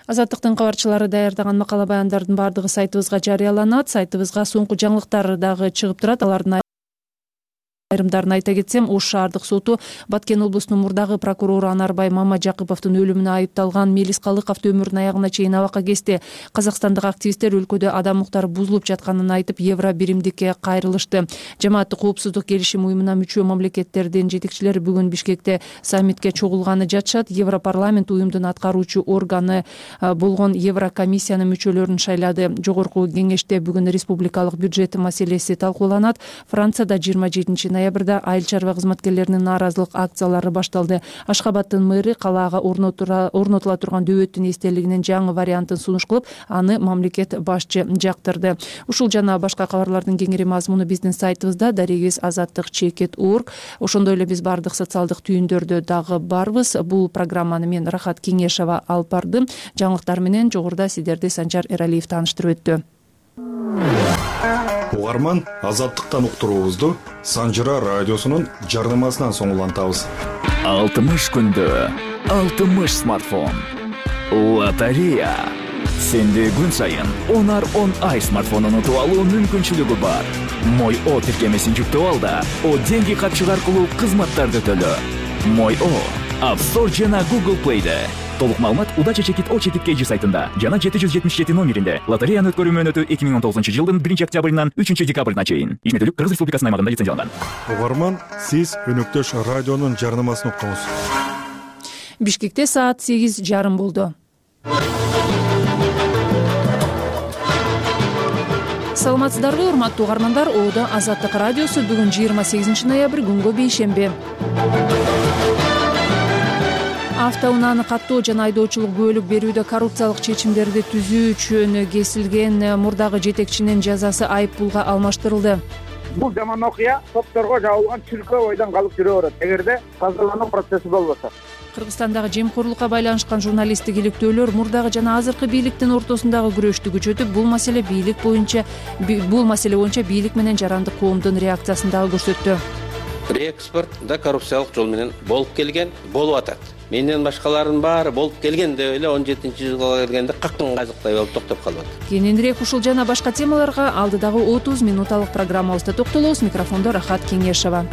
Азаттыктын кабарчылары даярдаган макала баяндардын бардыгы сайтыбызга жарыяланат. Сайтыбызга соңку жаңылыктар дагы чыгып турат. Алардын айрымдарын айта кетсем, Ош шаардык соту Баткен облусунун мурдагы прокурору Анарбай Мамажакыповдун өлүмүнө айыпталган Мелис Калыковду өмүрүнүн аягына чейин абакка кести. Казакстандык активисттер өлкөдө адам укуктары бузулуп жатканын айтып, евро биримдикке кайрылышты. Жамааттык коопсуздук келишим уюмуна мүчө мамлекеттердин жетекчилери бүгүн Бишкекте саммитке чогулганы жатышат. Европарламент уюмдун аткаруучу органы болгон Еврокомиссиянын мүчөлөрүн шайлады. Жогорку кеңеште бүгүн республикалык бюджет маселеси талкууланат. Францияда жыйырма жетинчи ноябрда айыл чарба кызматкерлеринин нааразылык акциялары башталды. Ашхабадтын мэры калаага орнотула турган дөбөттүн эстелигинин жаңы вариантын сунуш кылып, аны мамлекет башчы жактырды. Ушул жана башка кабарлардын кеңири мазмуну биздин сайтыбызда дарегибиз азаттык чекит точка орг. Ошондой эле биз бардык социалдык түйүндөрдө дагы барбыз. Бул программаны мен Рахат Кеңешова алып бардым. Жаңылыктар менен жогоруда сиздерди Санжар Эралиев тааныштырып өттү. Угарман, азаттыктан уктуруубузду Санжыра радиосунун жардамасынан соң улантабыз. алтымыш күндө алтымыш смартфон. Лотерея. Сенде күн сайын Honor он ай смартфонун утуп алуу мүмкүнчүлүгү бар. Мой О тиркемесин жүктөп ал да О деньги карточка аркылуу кызматтарды төлө. Мой О App Store жана Google Play'де. Толук маалымат Удача Чекит О Чекит Кей Жи сайтында жана жети жүз жетимиш жети номеринде. Лотереянын өткөрүү мөөнөтү эки миң он тогузунчу жылдын биринчи октябрынан үчүнчү декабрына чейин. Ишмердүүлүк Кыргыз Республикасынын аймагында лицензияланган. Угарман, сиз өнөктөш радионун жарнамасын уктуңуз. Бишкекте саат сегиз жарым болду. Саламатсыздарбы, урматтуу угармандар. Оодо Азаттык радиосу бүгүн жыйырма сегизинчи ноябрь күнгө бейшемби. Автоунааны каттоо жана айдоочулук бөлүп берүүдө коррупциялык чечимдерди түзүү үчүн кесилген мурдагы жетекчинин жазасы айып пулга алмаштырылды. Бул жаман окуя топторго жабылган чүлкө бойдон калып жүрө берет, эгерде тазалануу процесси болбосо. Кыргызстандагы жемкорлукка байланышкан журналисттик иликтөөлөр мурдагы жана азыркы бийликтин ортосундагы күрөштү күчөтүп, бул маселе бийлик боюнча бул маселе боюнча бийлик менен жарандык коомдун реакциясын дагы көрсөттү. Реэкспорт да коррупциялык жол менен болуп келген, болуп атат. Менден башкалардын баары болуп келген деп эле он жетинчи жылга келгенде каккан казыктай болуп токтоп калып атат. Кененирээк ушул жана башка темаларга алдыдагы отуз минуталык программабызда токтолобуз. Микрофондо Рахат Кеңешова.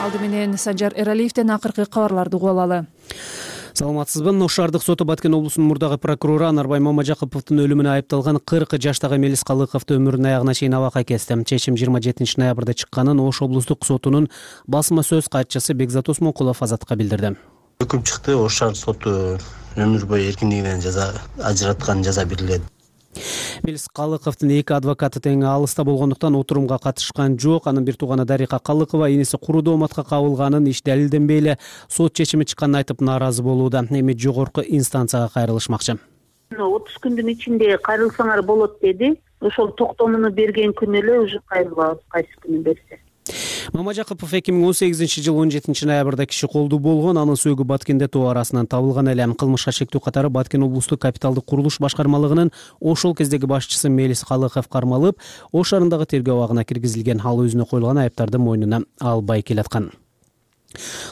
Алды менен Санжар Эралиевден акыркы кабарларды угуп алалы. Саламатсызбы. Ош шаардык соту Баткен облусунун мурдагы прокурору Анарбай Мамажакыповдун өлүмүнө айыпталган кырк жаштагы Мелис Калыковду өмүрүнүн аягына чейин абакка кести. Чечим жыйырма жетинчи ноябрда чыкканын Ош облустук сотунун басма сөз катчысы Бекзат Осмонкулов Азатка билдирди. Өкүм чыкты. Ош шаардык соту өмүр бою эркиндигинен жаза ажыраткан жаза берилет. Мелис Калыковдун эки адвокаты тең алыста болгондуктан отурумга катышкан жок. Анын бир тууганы Дарика Калыкова иниси куру дооматка кабылганын, иш далилденбей эле сот чечими чыкканын айтып нааразы болууда. Эми жогорку инстанцияга кайрылышмакчы. отуз күндүн ичинде кайрылсаңар болот деди. Ошол токтомуну берген күнү эле уже кайрылабыз, кайсы күнү берсе. Мамажакыпов эки миң он сегизинчи жыл он жетинчи ноябрда киши колду болгон. Анын сөөгү Баткенде тоо арасынан табылган эле. Кылмышка шектүү катары Баткен облустук капиталдык курулуш башкармалыгынын ошол кездеги башчысы Мелис Калыков кармалып, Ош шаарындагы тергөө абагына киргизилген. Ал өзүнө коюлган айыптарды мойнуна албай келаткан.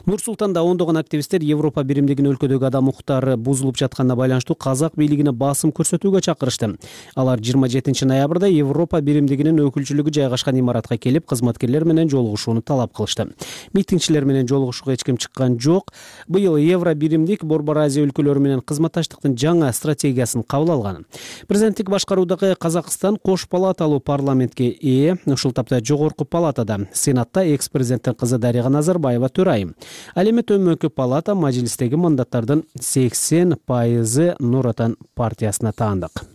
Нур Султанда ондогон активисттер Европа биримдигинин өлкөдөгү адам укуктары бузулуп жатканына байланыштуу казак бийлигине басым көрсөтүүгө чакырышты. Алар жыйырма жетинчи ноябрда Европа биримдигинин өкүлчүлүгү жайгашкан имаратка келип, кызматкерлер менен жолугушууну талап кылышты. Митингчилер менен жолугушууга эч ким чыккан жок. Быйыл Евро биримдик Борбор Азия өлкөлөрү менен кызматташтыктын жаңа стратегиясын кабыл алган. Президенттик башкаруудагы Казакстан кош палаталуу парламентке ээ. Ушул тапта жогорку палатада Сенатта экс-президенттин кызы Дарига Назарбаева төрайым. Ал эми төмөнкү палата мажлистеги мандаттардын сексен пайызы Нур Отан партиясына таандык.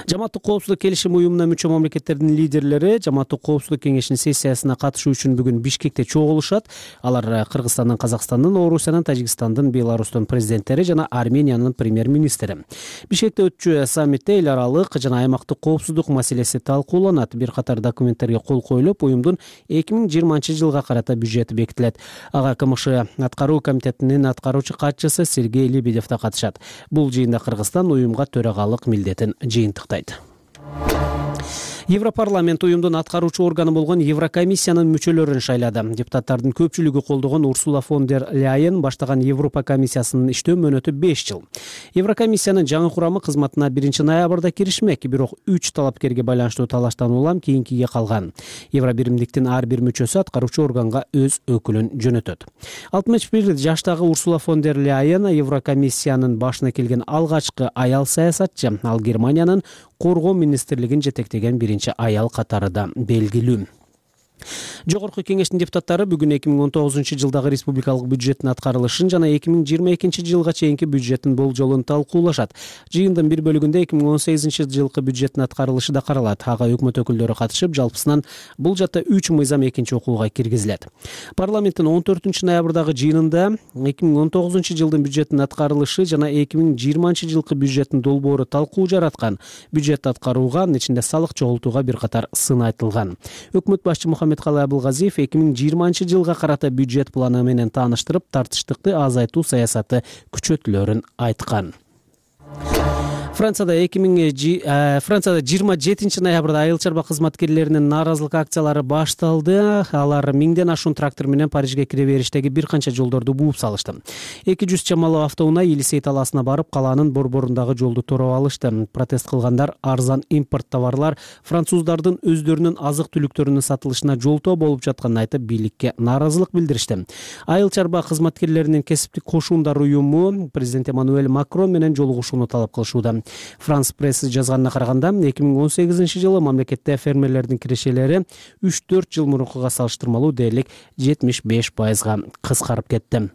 Жамааттык коопсуздук келишим уюмуна мүчө мамлекеттердин лидерлери Жамааттык коопсуздук кеңешинин сессиясына катышуу үчүн бүгүн Бишкекте чогулушат. Алар Кыргызстандын, Казакстандын, Орусиянын, Тажикстандын, Беларустун президенттери жана Армениянын премьер-министри. Бишкекте өтчү саммитте эл аралык жана аймактык коопсуздук маселеси талкууланат. Бир катар документтерге кол коюлуп, уюмдун эки миң жыйырманчы жылга карата бюджети бекитилет. Ага КМШ аткаруу комитетинин аткаруучу катчысы Сергей Лебедев да катышат. Бул жыйында Кыргызстан уюмга төрагалык милдетин жыйынтыктайт. Европарламент уюмдун аткаруучу органы болгон Еврокомиссиянын мүчөлөрүн шайлады. Депутаттардын көпчүлүгү колдогон Урсула фон дер Ляйен баштаган Европа комиссиясынын иштөө мөөнөтү беш жыл. Еврокомиссиянын жаңы курамы кызматына биринчи ноябрда киришмек, бирок үч талапкерге байланыштуу талаштан улам кийинкиге калган. Евро биримдиктин ар бир мүчөсү аткаруучу органга өз өкүлүн жөнөтөт. алтымыш бир жаштагы Урсула фон дер Ляйен Еврокомиссиянын башына келген алгачкы аял саясатчы. Ал Германиянын коргоо министрлигин жетектеген биринчи аял катары да белгилүү. Жогорку кеңештин депутаттары бүгүн эки миң он тогузунчу жылдагы республикалык бюджеттин аткарылышын жана эки миң жыйырма экинчи жылга чейинки бюджеттин болжолун талкуулашат. Жыйындын бир бөлүгүндө эки миң он сегизинчи жылкы бюджеттин аткарылышы да каралат. Ага өкмөт өкүлдөрү катышып, жалпысынан бул жакта үч мыйзам экинчи окууга киргизилет. Парламенттин он төртүнчү ноябрдагы жыйынында эки миң он тогузунчу жылдын бюджеттин аткарылышы жана эки миң жыйырманчы жылкы бюджеттин долбоору талкуу жараткан. Бюджет аткарууга, анын ичинде салык чогултууга бир катар сын айтылган. Өкмөт башчы Мухаммедкалый Абылгазиев эки миң жыйырманчы жылга карата бюджет планы менен тааныштырып, тартыштыкты азайтуу саясаты күчөтүлөрүн айткан. Францияда эки миң Францияда жыйырма жетинчи ноябрда айыл чарба кызматкерлеринин нааразылык акциялары башталды. Алар миңден ашуун трактор менен Парижге кире бериштеги бир канча жолдорду бууп салышты. эки жүз чамалуу автоунаа Елисей талаасына барып, калаанын борборундагы жолду тороп алышты. Протест кылгандар арзан импорт товарлар француздардын өздөрүнүн азык түлүктөрүнүн сатылышына жолтоо болуп жатканын айтып, бийликке нааразылык билдиришти. Айыл чарба кызматкерлеринин кесиптик кошуундар уюму президент Эммануэль Макрон менен жолугушууну талап кылышууда. Франс пресси жазганына караганда, эки миң он сегизинчи жылы мамлекетте фермерлердин кирешелери үч төрт жыл мурункуга салыштырмалуу дээрлик жетимиш беш пайызга кыскарып кетти.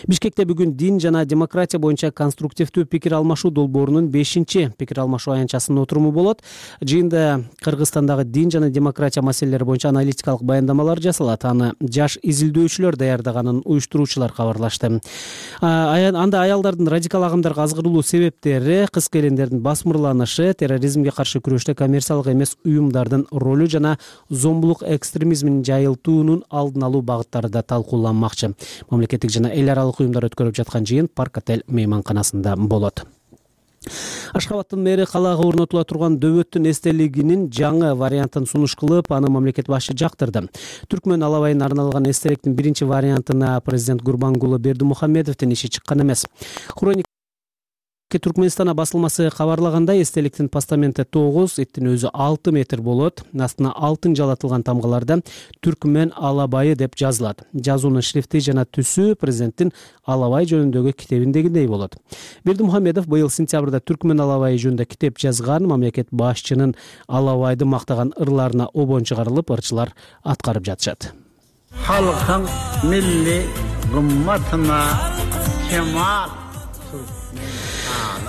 Бишкекте бүгүн дин жана демократия боюнча конструктивдүү пикир алмашуу долбоорунун бешинчи пикир алмашуу аянтчасынын отуруму болот. Жыйында Кыргызстандагы дин жана демократия маселелери боюнча аналитикалык баяндамалар жасалат. Аны жаш изилдөөчүлөр даярдаганын уюштуруучулар кабарлашты. Анда аялдардын радикал агымдарга азгырылуу себептери, кыз келиндердин басмырланышы, терроризмге каршы күрөштө коммерциялык эмес уюмдардын ролу жана зомбулук экстремизминин жайылтуунун алдын алуу багыттары да талкууланмакчы. Мамлекеттик жана эл аралык уюмдар өткөрүп жаткан жыйын Парк отель мейманканасында болот. Ашхабадтын мэри калаага орнотула турган дөбөттүн эстелигинин жаңы вариантын сунуш кылып, аны мамлекет башы жактырды. Түркмөн алабайына арналган эстеликтин биринчи вариантына президент Гурбангулы Бердимухамедовдун иши чыккан эмес. Түркмөнстана басылмасы кабарлагандай, эстеликтин постаменти тогуз, эттин өзү алты метр болот. Астына алтын жалатылган тамгаларда Түркмөн алабайы деп жазылат. Жазуунун шрифти жана түсү президенттин алабай жөнүндөгү китебиндегидей болот. Бердимухамедов быйыл сентябрда Түркмөн алабайы жөнүндө китеп жазган. Мамлекет башчынын алабайды мактаган ырларына обон чыгарылып, ырчылар аткарып жатышат. Халкың милли гумматына кемал.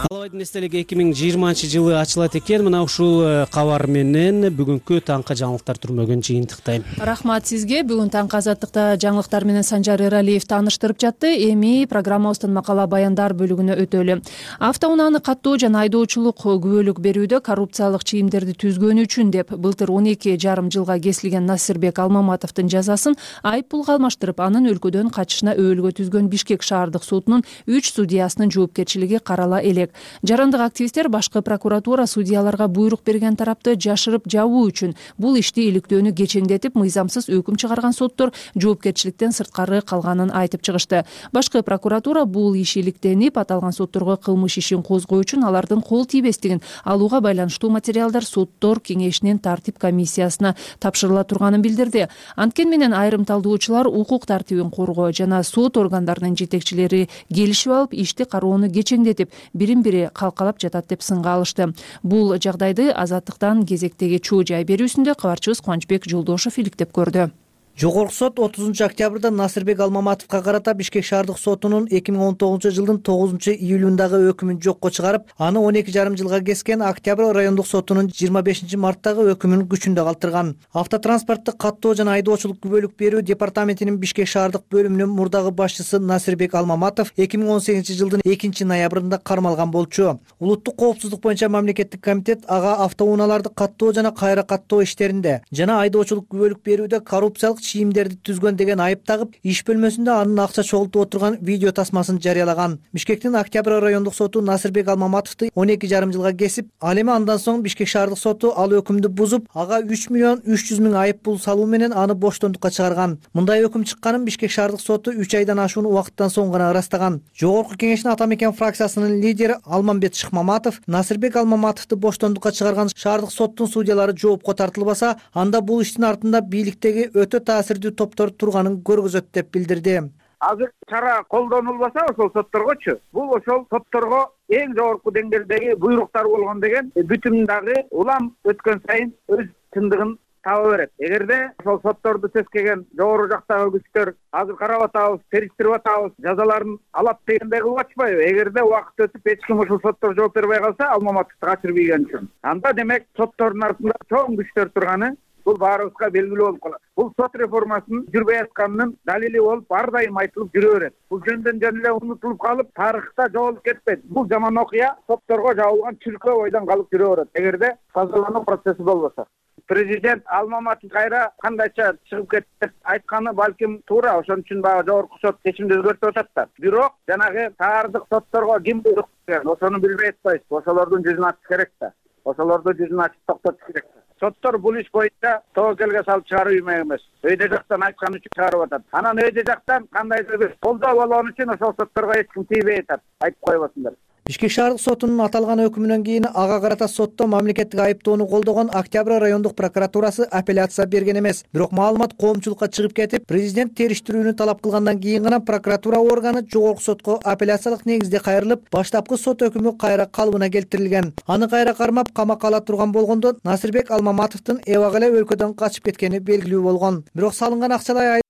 Алабайдын эстелиги эки миң жыйырманчы жылы ачылат экен. Мына ушул кабар менен бүгүнкү таңкы жаңылыктар түрмөгүн жыйынтыктайм. Рахмат сизге. Бүгүн таңкы азаттыкта жаңылыктар менен Санжар Эралиев тааныштырып жатты. Эми программабыздын макала баяндар бөлүгүнө өтөлү. Автоунааны каттоо жана айдоочулук күбөлүк берүүдө коррупциялык чийимдерди түзгөнү үчүн деп былтыр он эки жарым жылга кесилген Насирбек Алмаматовдун жазасын айып пулга алмаштырып, анын өлкөдөн качышына өбөлгө түзгөн Бишкек шаардык сотунун үч судьясынын жоопкерчилиги карала элек. Жарандык активисттер башкы прокуратура судьяларга буйрук берген тарапты жашырып жабуу үчүн бул ишти иликтөөнү кечеңдетип, мыйзамсыз өкүм чыгарган соттор жоопкерчиликтен сырткары калганын айтып чыгышты. Башкы прокуратура бул иш иликтенип, аталган сотторго кылмыш ишин козгоо үчүн алардын кол тийбестигин алууга байланыштуу материалдар соттор кеңешинин тартип комиссиясына тапшырыла турганын билдирди. Анткени менен айрым талдоочулар укук тартибин коргоо жана сот органдарынын жетекчилери келишип алып, ишти кароону кечеңдетип, бирин бири калкалап жатат деп сынга алышты. Бул жагдайды Азаттыктан кезектеги чоо жай берүүсүндө кабарчыбыз Кубанычбек Жолдошов иликтеп көрдү. Жогорку сот отузунчу октябрда Насирбек Алмаматовго карата Бишкек шаардык сотунун эки миң он тогузунчу жылдын тогузунчу июлундагы өкүмүн жокко чыгарып, аны он эки жарым жылга кескен Октябрь райондук сотунун жыйырма бешинчи марттагы өкүмүн күчүндө калтырган. Автотранспорттук каттоо жана айдоочулук күбөлүк берүү департаментинин Бишкек шаардык бөлүмүнүн мурдагы башчысы Насирбек Алмаматов эки миң он сегизинчи жылдын экинчи ноябрында кармалган болчу. Улуттук коопсуздук боюнча мамлекеттик комитет ага автоунааларды каттоо жана кайра каттоо иштеринде жана айдоочулук күбөлүк берүүдө коррупциялык чийимдерди түзгөн деген айып тагып, иш бөлмөсүндө анын акча чогултуп отурган видео тасмасын жарыялаган. Бишкектин Октябрь райондук соту Насирбек Алмаматовду он эки жарым жылга кесип, ал эми андан соң Бишкек шаардык соту ал өкүмдү бузуп, ага үч миллион үч жүз миң айып пул салуу менен аны боштондукка чыгарган. Мындай өкүм чыкканын Бишкек шаардык соту үч айдан ашуун убакыттан соң гана ырастаган. Жогорку кеңештин Ата мекен фракциясынын лидери Алмамбет Шыкмаматов Насирбек Алмаматовду боштондукка чыгарган шаардык соттун судьялары жоопко тартылбаса, анда бул иштин артында бийликтеги өтө таасирдүү топтор турганын көргөзөт деп билдирди. Азыр чара колдонулбаса ошол сотторгочу, бул ошол сотторго эң жогорку деңгээлдеги буйруктар болгон деген бүтүн дагы улам өткөн сайын өз чындыгын таба берет. Эгерде ошол сотторду сескеген жогору жактагы күчтөр азыр карап атабыз, териштирип атабыз, жазаларын алат дегендей кылып атышпайбы? Эгерде убакыт өтүп эч ким ушул соттор жооп бербей калса, Алмаматовду качырып ийген үчүн, анда демек соттордун артында чоң күчтөр турганы бул баарыбызга белгилүү болуп калат. Бул сот реформасынын жүрбөй атканынын далили болуп ар дайым айтылып жүрө берет. Бул жөндөн жөн эле унутулуп калып, тарыхта жоголуп кетпейт. Бул жаман окуя сотторго жабылган чүркөө бойдон калып жүрө берет эгерде тазалануу процесси болбосо. Президент Алмаматов кайра кандайча чыгып кетти деп айтканы балким туура, ошон үчүн баягы жогорку сот чечимди өзгөртүп атат да. Бирок жанагы таардык сотторго ким буйрук берген, ошону билбей атпайбыз. Ошолордун жүзүн ачыш керек да. Ошолордун жүзүн ачып токтотуш керек да. Соттор бул иш боюнча тобокелге салып чыгаруу үймөк эмес. Өйдө жактан айткан үчүн чыгарып атат. Анан өйдө жактан кандайдыр бир колдоо болгон үчүн ошол сотторго эч ким тийбей атат. Айтып койбосундар. Бишкек шаардык сотунун аталган өкүмүнөн кийин ага карата сотто мамлекеттик айыптоону колдогон Октябрь райондук прокуратурасы апелляция берген эмес. Бирок маалымат коомчулукка чыгып кетип, президент териштирүүнү талап кылгандан кийин гана прокуратура органы жогорку сотко апелляциялык негизде кайрылып, баштапкы сот өкүмү кайра калыбына келтирилген. Аны кайра кармап камакка ала турган болгондо Насырбек Алмаматовдун эбак эле өлкөдөн качып кеткени белгилүү болгон. Бирок салынган акчалай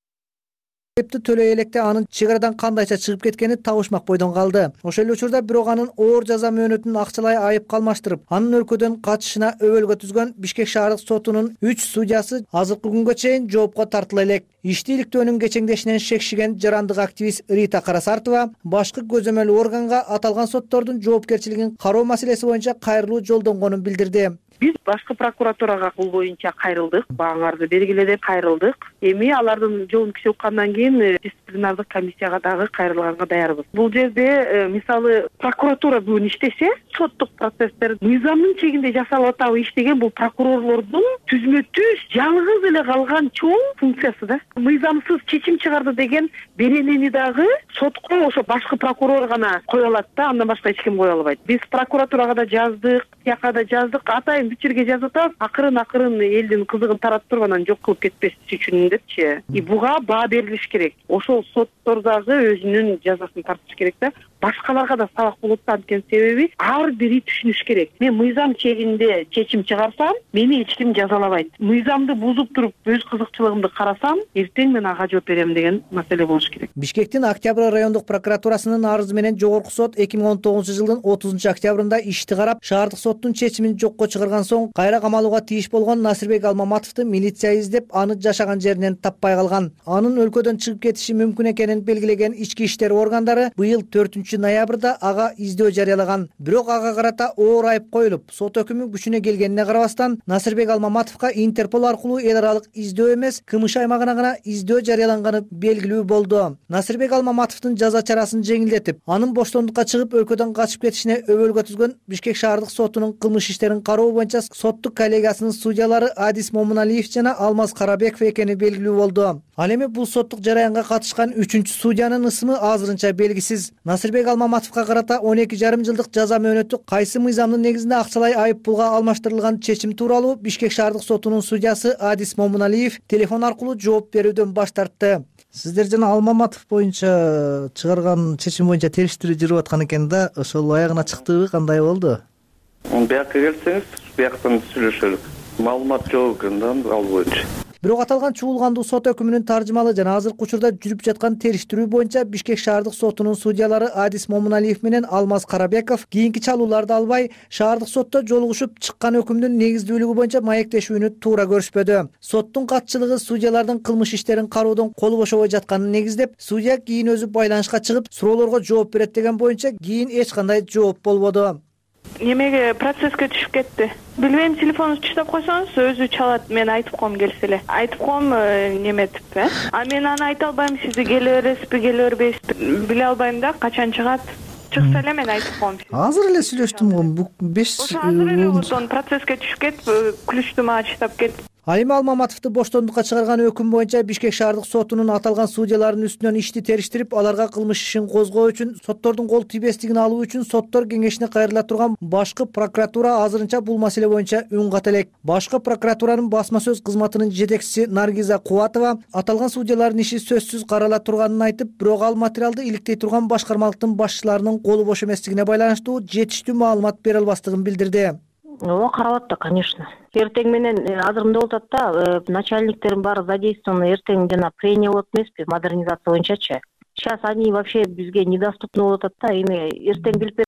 айыпты төлөй электе анын чек арадан кандайча чыгып кеткени табышмак бойдон калды. Ошол эле учурда бирок анын оор жаза мөөнөтүн акчалай айып калмаштырып, анын өлкөдөн качышына өбөлгө түзгөн Бишкек шаардык сотунун үч судьясы азыркы күнгө чейин жоопко тартыла элек. Ишти иликтөөнүн кечеңдешинен шекшиген жарандык активист Рита Карасартова башкы көзөмөл органга аталган соттордун жоопкерчилигин кароо маселеси боюнча кайрылуу жолдонгонун билдирди. Биз башкы прокуратурага бул боюнча кайрылдык, бааңарды бергиле деп кайрылдык. Эми алардын жолун киши уккандан кийин дисциплинардык комиссияга дагы кайрылганга даярбыз. Бул жерде мисалы прокуратура бүгүн иштесе, соттук процесстер мыйзамдын чегинде жасалып атабы иштеген бул прокурорлордун түзмө түз жалгыз эле калган чоң функциясы да. Мыйзамсыз чечим чыгарды деген беренени дагы сотко ошо башкы прокурор гана кое алат да, андан башка эч ким кое албайт. Биз прокуратурага да жаздык, тияка да жаздык, атайын бүт жерге жазып атабыз, акырын акырын элдин кызыгын таратып туруп анан жок кылып кетпеш үчүн депчи. И буга баа берилиш керек. Ошол соттор дагы өзүнүн жазасын тартыш керек да. Башкаларга да сабак болот да, анткени себеби ар бири түшүнүш керек. Мен мыйзам чегинде чечим чыгарсам, мени эч ким жазалабайт. Мыйзамды бузуп туруп өз кызыкчылыгымды карасам, эртең мен ага жооп берем деген маселе болуш керек. Бишкектин Октябрь райондук прокуратурасынын арызы менен жогорку сот эки миң он тогузунчу жылдын отузунчу октябрында ишти карап, шаардык соттун чечимин жокко чыгарган соң кайра камалууга тийиш болгон Насырбек Алмаматовду милиция издеп, аны жашаган жеринен таппай калган. Анын өлкөдөн чыгып кетиши мүмкүн экенин белгилеген ички иштер органдары быйыл төртүнчү ноябрда ага издөө жарыялаган. Бирок ага карата оор айып коюлуп, сот өкүмү күчүнө келгенине карабастан, Насырбек Алмаматовго Интерпол аркылуу эл аралык издөө эмес, КМШ аймагына гана издөө жарыяланганы белгилүү болду. Насырбек Алмаматовдун жаза чарасын жеңилдетип, анын боштондукка чыгып өлкөдөн качып кетишине өбөлгө түзгөн Бишкек шаардык сотунун кылмыш иштерин кароо боюнча соттук коллегиясынын судьялары Адис Момуналиев жана Алмаз Карабеков экени белгилүү болду. Ал эми бул соттук жараянга катышкан үчүнчү судьянын ысымы азырынча белгисиз. Насырбек Алмаматовго карата он эки жарым жылдык жаза мөөнөтү кайсы мыйзамдын негизинде акчалай айып пулга алмаштырылган чечим тууралуу Бишкек шаардык сотунун судьясы Адис Момуналиев телефон аркылуу жооп берүүдөн баш тартты. Сиздер жана Алмаматов боюнча чыгарган чечим боюнча териштирүү жүрүп аткан экен да, ошол аягына чыктыбы, кандай болду? Биякка келсеңиз, бияктан сүйлөшөлүк. Маалымат жок экен да ал боюнча. Бирок аталган чуулгандуу сот өкүмүнүн таржымалы жана азыркы учурда жүрүп жаткан териштирүү боюнча Бишкек шаардык сотунун судьялары Адис Момуналиев менен Алмаз Карабеков кийинки чалууларды албай, шаардык сотто жолугушуп чыккан өкүмдүн негиздүүлүгү боюнча маектешүүнү туура көрүшпөдү. Соттун катчылыгы судьялардын кылмыш иштерин кароодон колу бошобой жатканын негиздеп, судья кийин өзү байланышка чыгып, суроолорго жооп берет деген боюнча кийин эч кандай жооп болбоду. Немеге процесске түшүп кетти? Билбейм, телефонуңузду чыштап койсоңуз өзү чалат, мен айтып коем келсе эле. Айтып коем неметип, э? А мен аны айта албайм, сиз келе бересизби, келе бербейсизби, биле албайм да, качан чыгат. Чыкса эле мен айтып коем. Азыр эле сүйлөштүм го, бул беш азыр эле ошон процесске түшүп кетип, күлүштү мага чыштап кетип. Ал эми Алмаматовду боштондукка чыгарган өкүм боюнча Бишкек шаардык сотунун аталган судьялардын үстүнөн ишти териштирип, аларга кылмыш ишин козгоо үчүн, соттордун кол тийбестигин алуу үчүн соттор кеңешине кайрыла турган башкы прокуратура азырынча бул маселе боюнча үн ката элек. Башкы прокуратуранын басма сөз кызматынын жетекчиси Наргиза Кубатова аталган судьялардын иши сөзсүз карала турганын айтып, бирок ал материалды иликтей турган башкармалыктын башчыларынын колу бош эместигине байланыштуу жетиштүү маалымат бере албастыгын билдирди. Ооба, карап атты, конечно. Эртең менен азыр мындай болуп атат да, начальниктердин баары задействованы, эртең жана прения болот эмеспи, модернизация боюнчачы. Сейчас они вообще бизге недоступны болуп атат да, эми эртең билип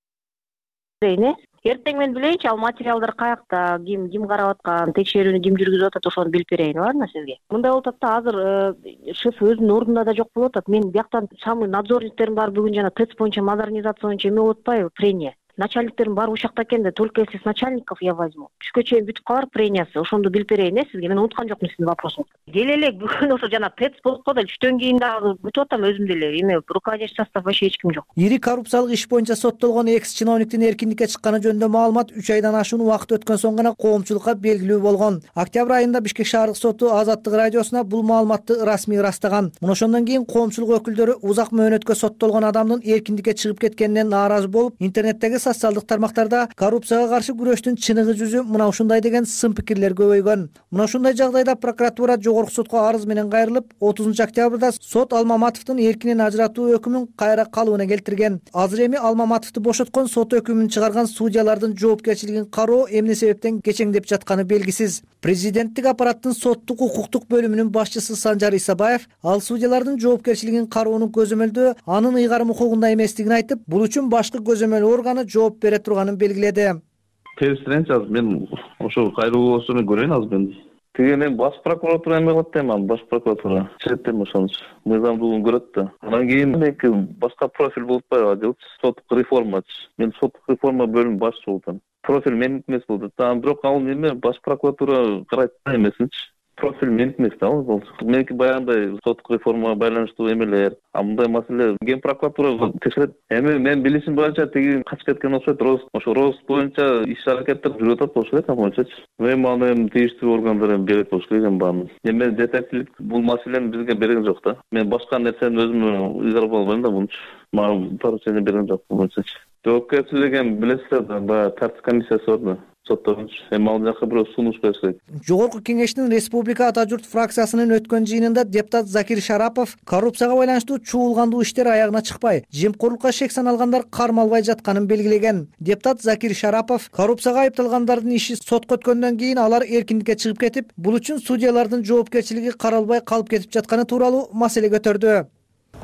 берейин, э? эртең мен билейинчи ал материалдар каякта, ким ким карап аткан, текшерүүнү ким жүргүзүп атат, ошону билип берейин, ладно сизге. Мындай болуп атат да, азыр шеф өзүнүн ордунда да жок болуп атат. Мен бияктан самый надзорниктерим бар бүгүн жана ТЭЦ боюнча модернизация боюнча эме болуп атпайбы, прения. Начальниктерим баары ушакта экен да, только если с начальников я возьму. Түшкө чейин бүтүп калар премиясы. Ошондо билип берейин э сизге. Мен унуткан жокмун сиздин вопросуңузду. Келе элек бүгүн ошо жана ТЭЦ болуп калды. Түштөн кийин дагы бүтүп атам өзүм деле. Эме руководящий состав вообще эч ким жок. Ири коррупциялык иш боюнча соттолгон экс чиновниктин эркиндикке чыкканы жөнүндө маалымат үч айдан ашуун убакыт өткөн соң гана коомчулукка белгилүү болгон. Октябрь айында Бишкек шаардык соту Азаттык радиосуна бул маалыматты расмий ырастаган. Мына ошондон кийин коомчулук өкүлдөрү узак мөөнөткө соттолгон адамдын эркиндикке чыгып кеткенине нааразы болуп, интернеттеги социалдык тармактар коррупцияга каршы күрөштүн чыныгы жүзү мына ушундай деген сын пикирлер көбөйгөн. Мына ушундай жагдайда прокуратура жогорку сотко арыз менен кайрылып, отузунчу октябрда сот Алмаматовдун эркинен ажыратуу өкүмүн кайра калыбына келтирген. Азыр эми Алмаматовду бошоткон сот өкүмүн чыгарган судьялардын жоопкерчилигин кароо эмне себептен кечеңдеп жатканы белгисиз. Президенттик аппараттын соттук укуктук бөлүмүнүн башчысы Санжар Исабаев ал судьялардын жоопкерчилигин кароонун көзөмөлдөө анын ыйгарым укугунда эместигин айтып, бул үчүн башкы көзөмөл органы жооп бере турганын белгиледи. Терсиренчи азыр мен ошо кайрылуусун көрөйүн азыр мен. Тиги мен баш прокуратура эме кылат дейм, баш прокуратура чечет дейм, ошонучу мыйзамдуулугун көрөт да. Андан кийин эки башка профиль болуп атпайбы, делчи соттук реформачы. Мен соттук реформа бөлүмү башчысы болуп атам. Профиль меники эмес болду. Там бирок ал эме баш прокуратура карайт да эмесинчи. Профиль меники эмес да ал. Меники баягындай соттук реформага байланыштуу эмелер. А мындай маселе ген прокуратура текшерет. Эми мен билишим боюнча тиги качып кеткен окшойт. Рост ошо рост боюнча иш аракеттер жүрүп атат болуш керек боюнчачы. Эми аны тийиштүү органдар эми берет болуш керек баарын. Эми жетекчилик бул маселени бизге берген жок да. Мен башка нерсени өзүм ыйгарып албайм да мунчу. Мага поручение берген жок болуучачы. Жоопкерчилик эми билесиздер да, баягы тартип комиссиясы бар да. Эми ал жака бирөө сунуш бериш керек. Жогорку кеңештин Республика Ата журт фракциясынын өткөн жыйынында депутат Закир Шарапов коррупцияга байланыштуу чуулгандуу иштер аягына чыкпай, жемкорлукка шек саналгандар кармалбай жатканын белгилеген. Депутат Закир Шарапов коррупцияга айыпталгандардын иши сотко өткөндөн кийин алар эркиндикке чыгып кетип, бул үчүн судьялардын жоопкерчилиги каралбай калып кетип жатканы тууралуу маселе көтөрдү.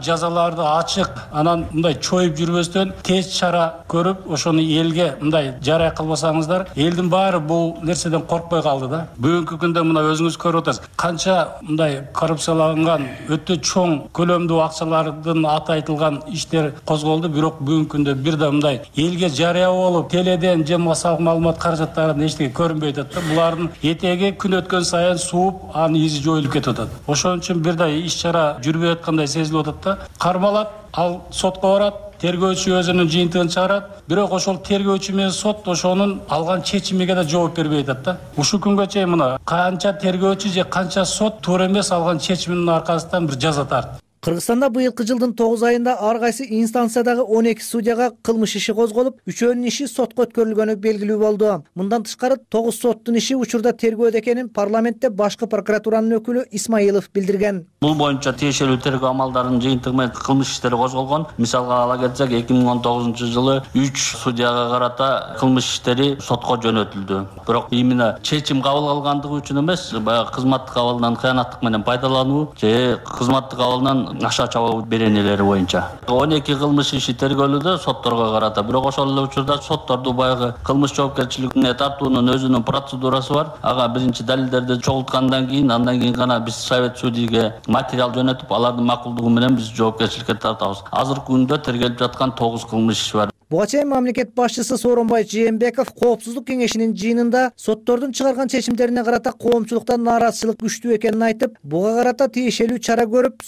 Жазаларды ачык, анан мындай чоюп жүрбөстөн тез чара көрүп, ошону элге мындай жарыя кылбасаңыздар, элдин баары бул нерседен коркпой калды да. Бүгүнкү күндө мына өзүңүз көрүп атасыз. Канча мындай коррупцияланган, өтө чоң көлөмдүү акчалардын аты айтылган иштер козголду, бирок бүгүнкү күндө бир да мындай элге жарыя болуп, теледен же массалык маалымат каражаттарынан эчтеке көрүнбөй атат да. Булардын этеги күн өткөн сайын сууп, анын изи жоюлуп кетип атат. Ошон үчүн бир да иш чара жүрбөй аткандай сезилип атат. Кармалат, ал сотко барат, тергөөчү өзүнүн жыйынтыгын чыгарат, бирок ошол тергөөчү менен сот ошонун алган чечимиге да жооп бербей атат да. Ушул күнгө чейин мына канча тергөөчү же канча сот туура эмес алган чечиминин аркасынан бир жаза тартты. Кыргызстанда быйылкы жылдын тогуз айында ар кайсы инстанциядагы он эки судьяга кылмыш иши козголуп, үчөөнүн иши сотко өткөрүлгөнү белгилүү болду. Мындан тышкары тогуз соттун иши учурда тергөөдө экенин парламентте башкы прокуратуранын өкүлү Исмаилов билдирген. Бул боюнча тиешелүү тергөө амалдарынын жыйынтыгы менен кылмыш иштери козголгон. Мисалга ала кетсек, эки миң он тогузунчу жылы үч судьяга карата кылмыш иштери сотко жөнөтүлдү. Бирок именно чечим кабыл алгандыгы үчүн эмес, баягы кызматтык абалынан кыянаттык менен пайдалануу же кызматтык абалынан аша чабуу беренелери боюнча он эки кылмыш иши тергөөлүүдө сотторго карата. Бирок ошол эле учурда сотторду баягы кылмыш жоопкерчилигине тартуунун өзүнүн процедурасы бар. Ага биринчи далилдерди чогулткандан кийин, андан кийин гана биз совет судийге материал жөнөтүп, алардын макулдугу менен биз жоопкерчиликке тартабыз. Азыркы күндө тергелип жаткан тогуз кылмыш иш бар. Буга чейин мамлекет башчысы Сооронбай Жээнбеков Коопсуздук кеңешинин жыйынында соттордун чыгарган чечимдерине карата коомчулуктан нааразычылык күчтүү экенин айтып, буга карата тиешелүү чара көрүп,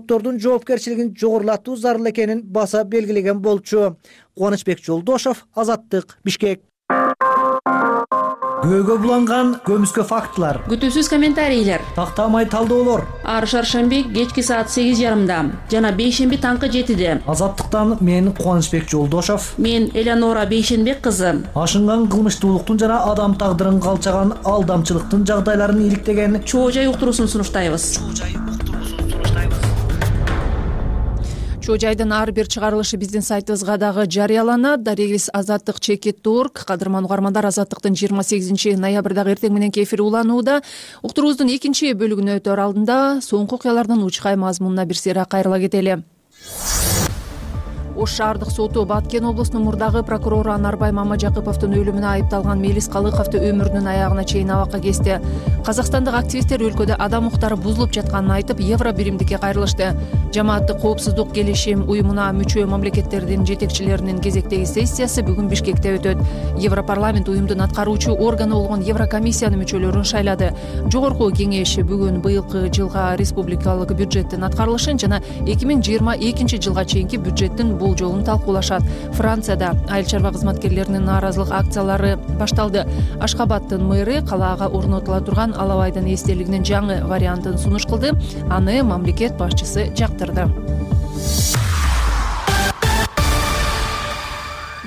соттордун жоопкерчилигин жогорулатуу зарыл экенин баса белгилеген болчу. Кубанычбек Жолдошов, Азаттык, Бишкек. Көйгө буланган көмүскө фактылар, күтүүсүз комментарийлер, тактамай талдоолор ар шаршемби кечки саат сегиз жарымда жана бейшемби таңкы жетиде. Азаттыктан мен Кубанычбек Жолдошов, мен Элеонора Бейшенбек кызы. Ашынган кылмыштуулуктун жана адам тагдырын калчаган алдамчылыктын жагдайларын иликтеген Чоо жай уктуруусун сунуштайбыз. Чоо жайдын ар бир чыгарылышы биздин сайтыбызга дагы жарыяланат. Дарегиз азаттык чекит тург. Кадырман угармандар, Азаттыктын жыйырма сегизинчи ноябрдагы эртең мененки эфири уланууда. Уктуруубуздун экинчи бөлүгүнө өтөр алдында соңку окуялардын учкай мазмунуна бир сыйра кайрыла кетели. Ош шаардык соту Баткен облусунун мурдагы прокурору Анарбай Мамажакыповдун өлүмүнө айыпталган Мелис Калыковду өмүрүнүн аягына чейин абакка кести. Казакстандык активисттер өлкөдө адам укуктары бузулуп жатканын айтып, Евро биримдикке кайрылышты. Жамааттык коопсуздук келишим уюмуна мүчө мамлекеттердин жетекчилеринин кезектеги сессиясы бүгүн Бишкекте өтөт. Европарламент уюмдун аткаруучу органы болгон Еврокомиссиянын мүчөлөрүн шайлады. Жогорку кеңеш бүгүн быйылкы жылга республикалык бюджеттин аткарылышын жана эки миң жыйырма экинчи жылга чейинки бюджеттин болжолун талкуулашат. Францияда айыл чарба кызматкерлеринин нааразылык акциялары башталды. Ашкабадтын мэры калаага орнотула турган Алабайдын эстелигинин жаңы вариантын сунуш кылды. Аны мамлекет башчысы жактырды.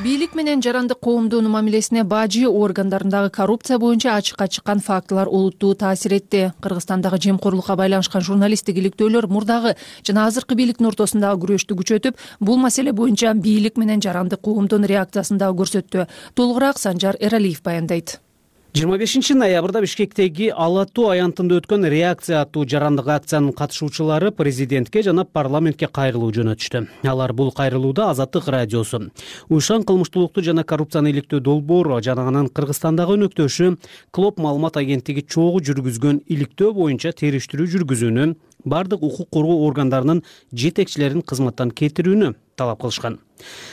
Бийлик менен жарандык коомдун мамилесине бажы органдарындагы коррупция боюнча ачыкка чыккан фактылар олуттуу таасир этти. Кыргызстандагы жемкорлукка байланышкан журналисттик иликтөөлөр мурдагы жана азыркы бийликтин ортосундагы күрөштү күчөтүп, бул маселе боюнча бийлик менен жарандык коомдун реакциясын дагы көрсөттү. Толугураак Санжар Эралиев баяндайт. жыйырма бешинчи ноябрда Бишкектеги Ала Атуу аянтында өткөн реакция аттуу жарандык акциянын катышуучулары президентке жана парламентке кайрылуу жөнөтүштү. Алар бул кайрылууда Азаттык радиосу, Уйшан кылмыштуулукту жана коррупцияны иликтөө долбоору жана анын Кыргызстандагы өнөктөшү Клоп маалымат агенттиги чогуу жүргүзгөн иликтөө боюнча териштирүү жүргүзүүнү, бардык укук коргоо органдарынын жетекчилерин кызматтан кетирүүнү талап кылышкан.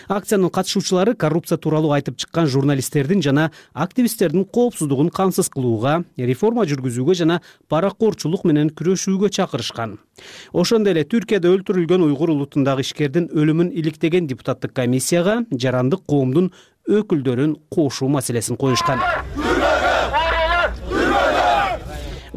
Акциянын катышуучулары коррупция тууралуу айтып чыккан журналисттердин жана активисттердин коопсуздугун камсыз кылууга, реформа жүргүзүүгө жана паракорчулук менен күрөшүүгө чакырышкан. Ошондой эле Түркияда өлтүрүлгөн уйгур улутундагы ишкердин өлүмүн иликтеген депутаттык комиссияга жарандык коомдун өкүлдөрүн кошуу маселесин коюшкан.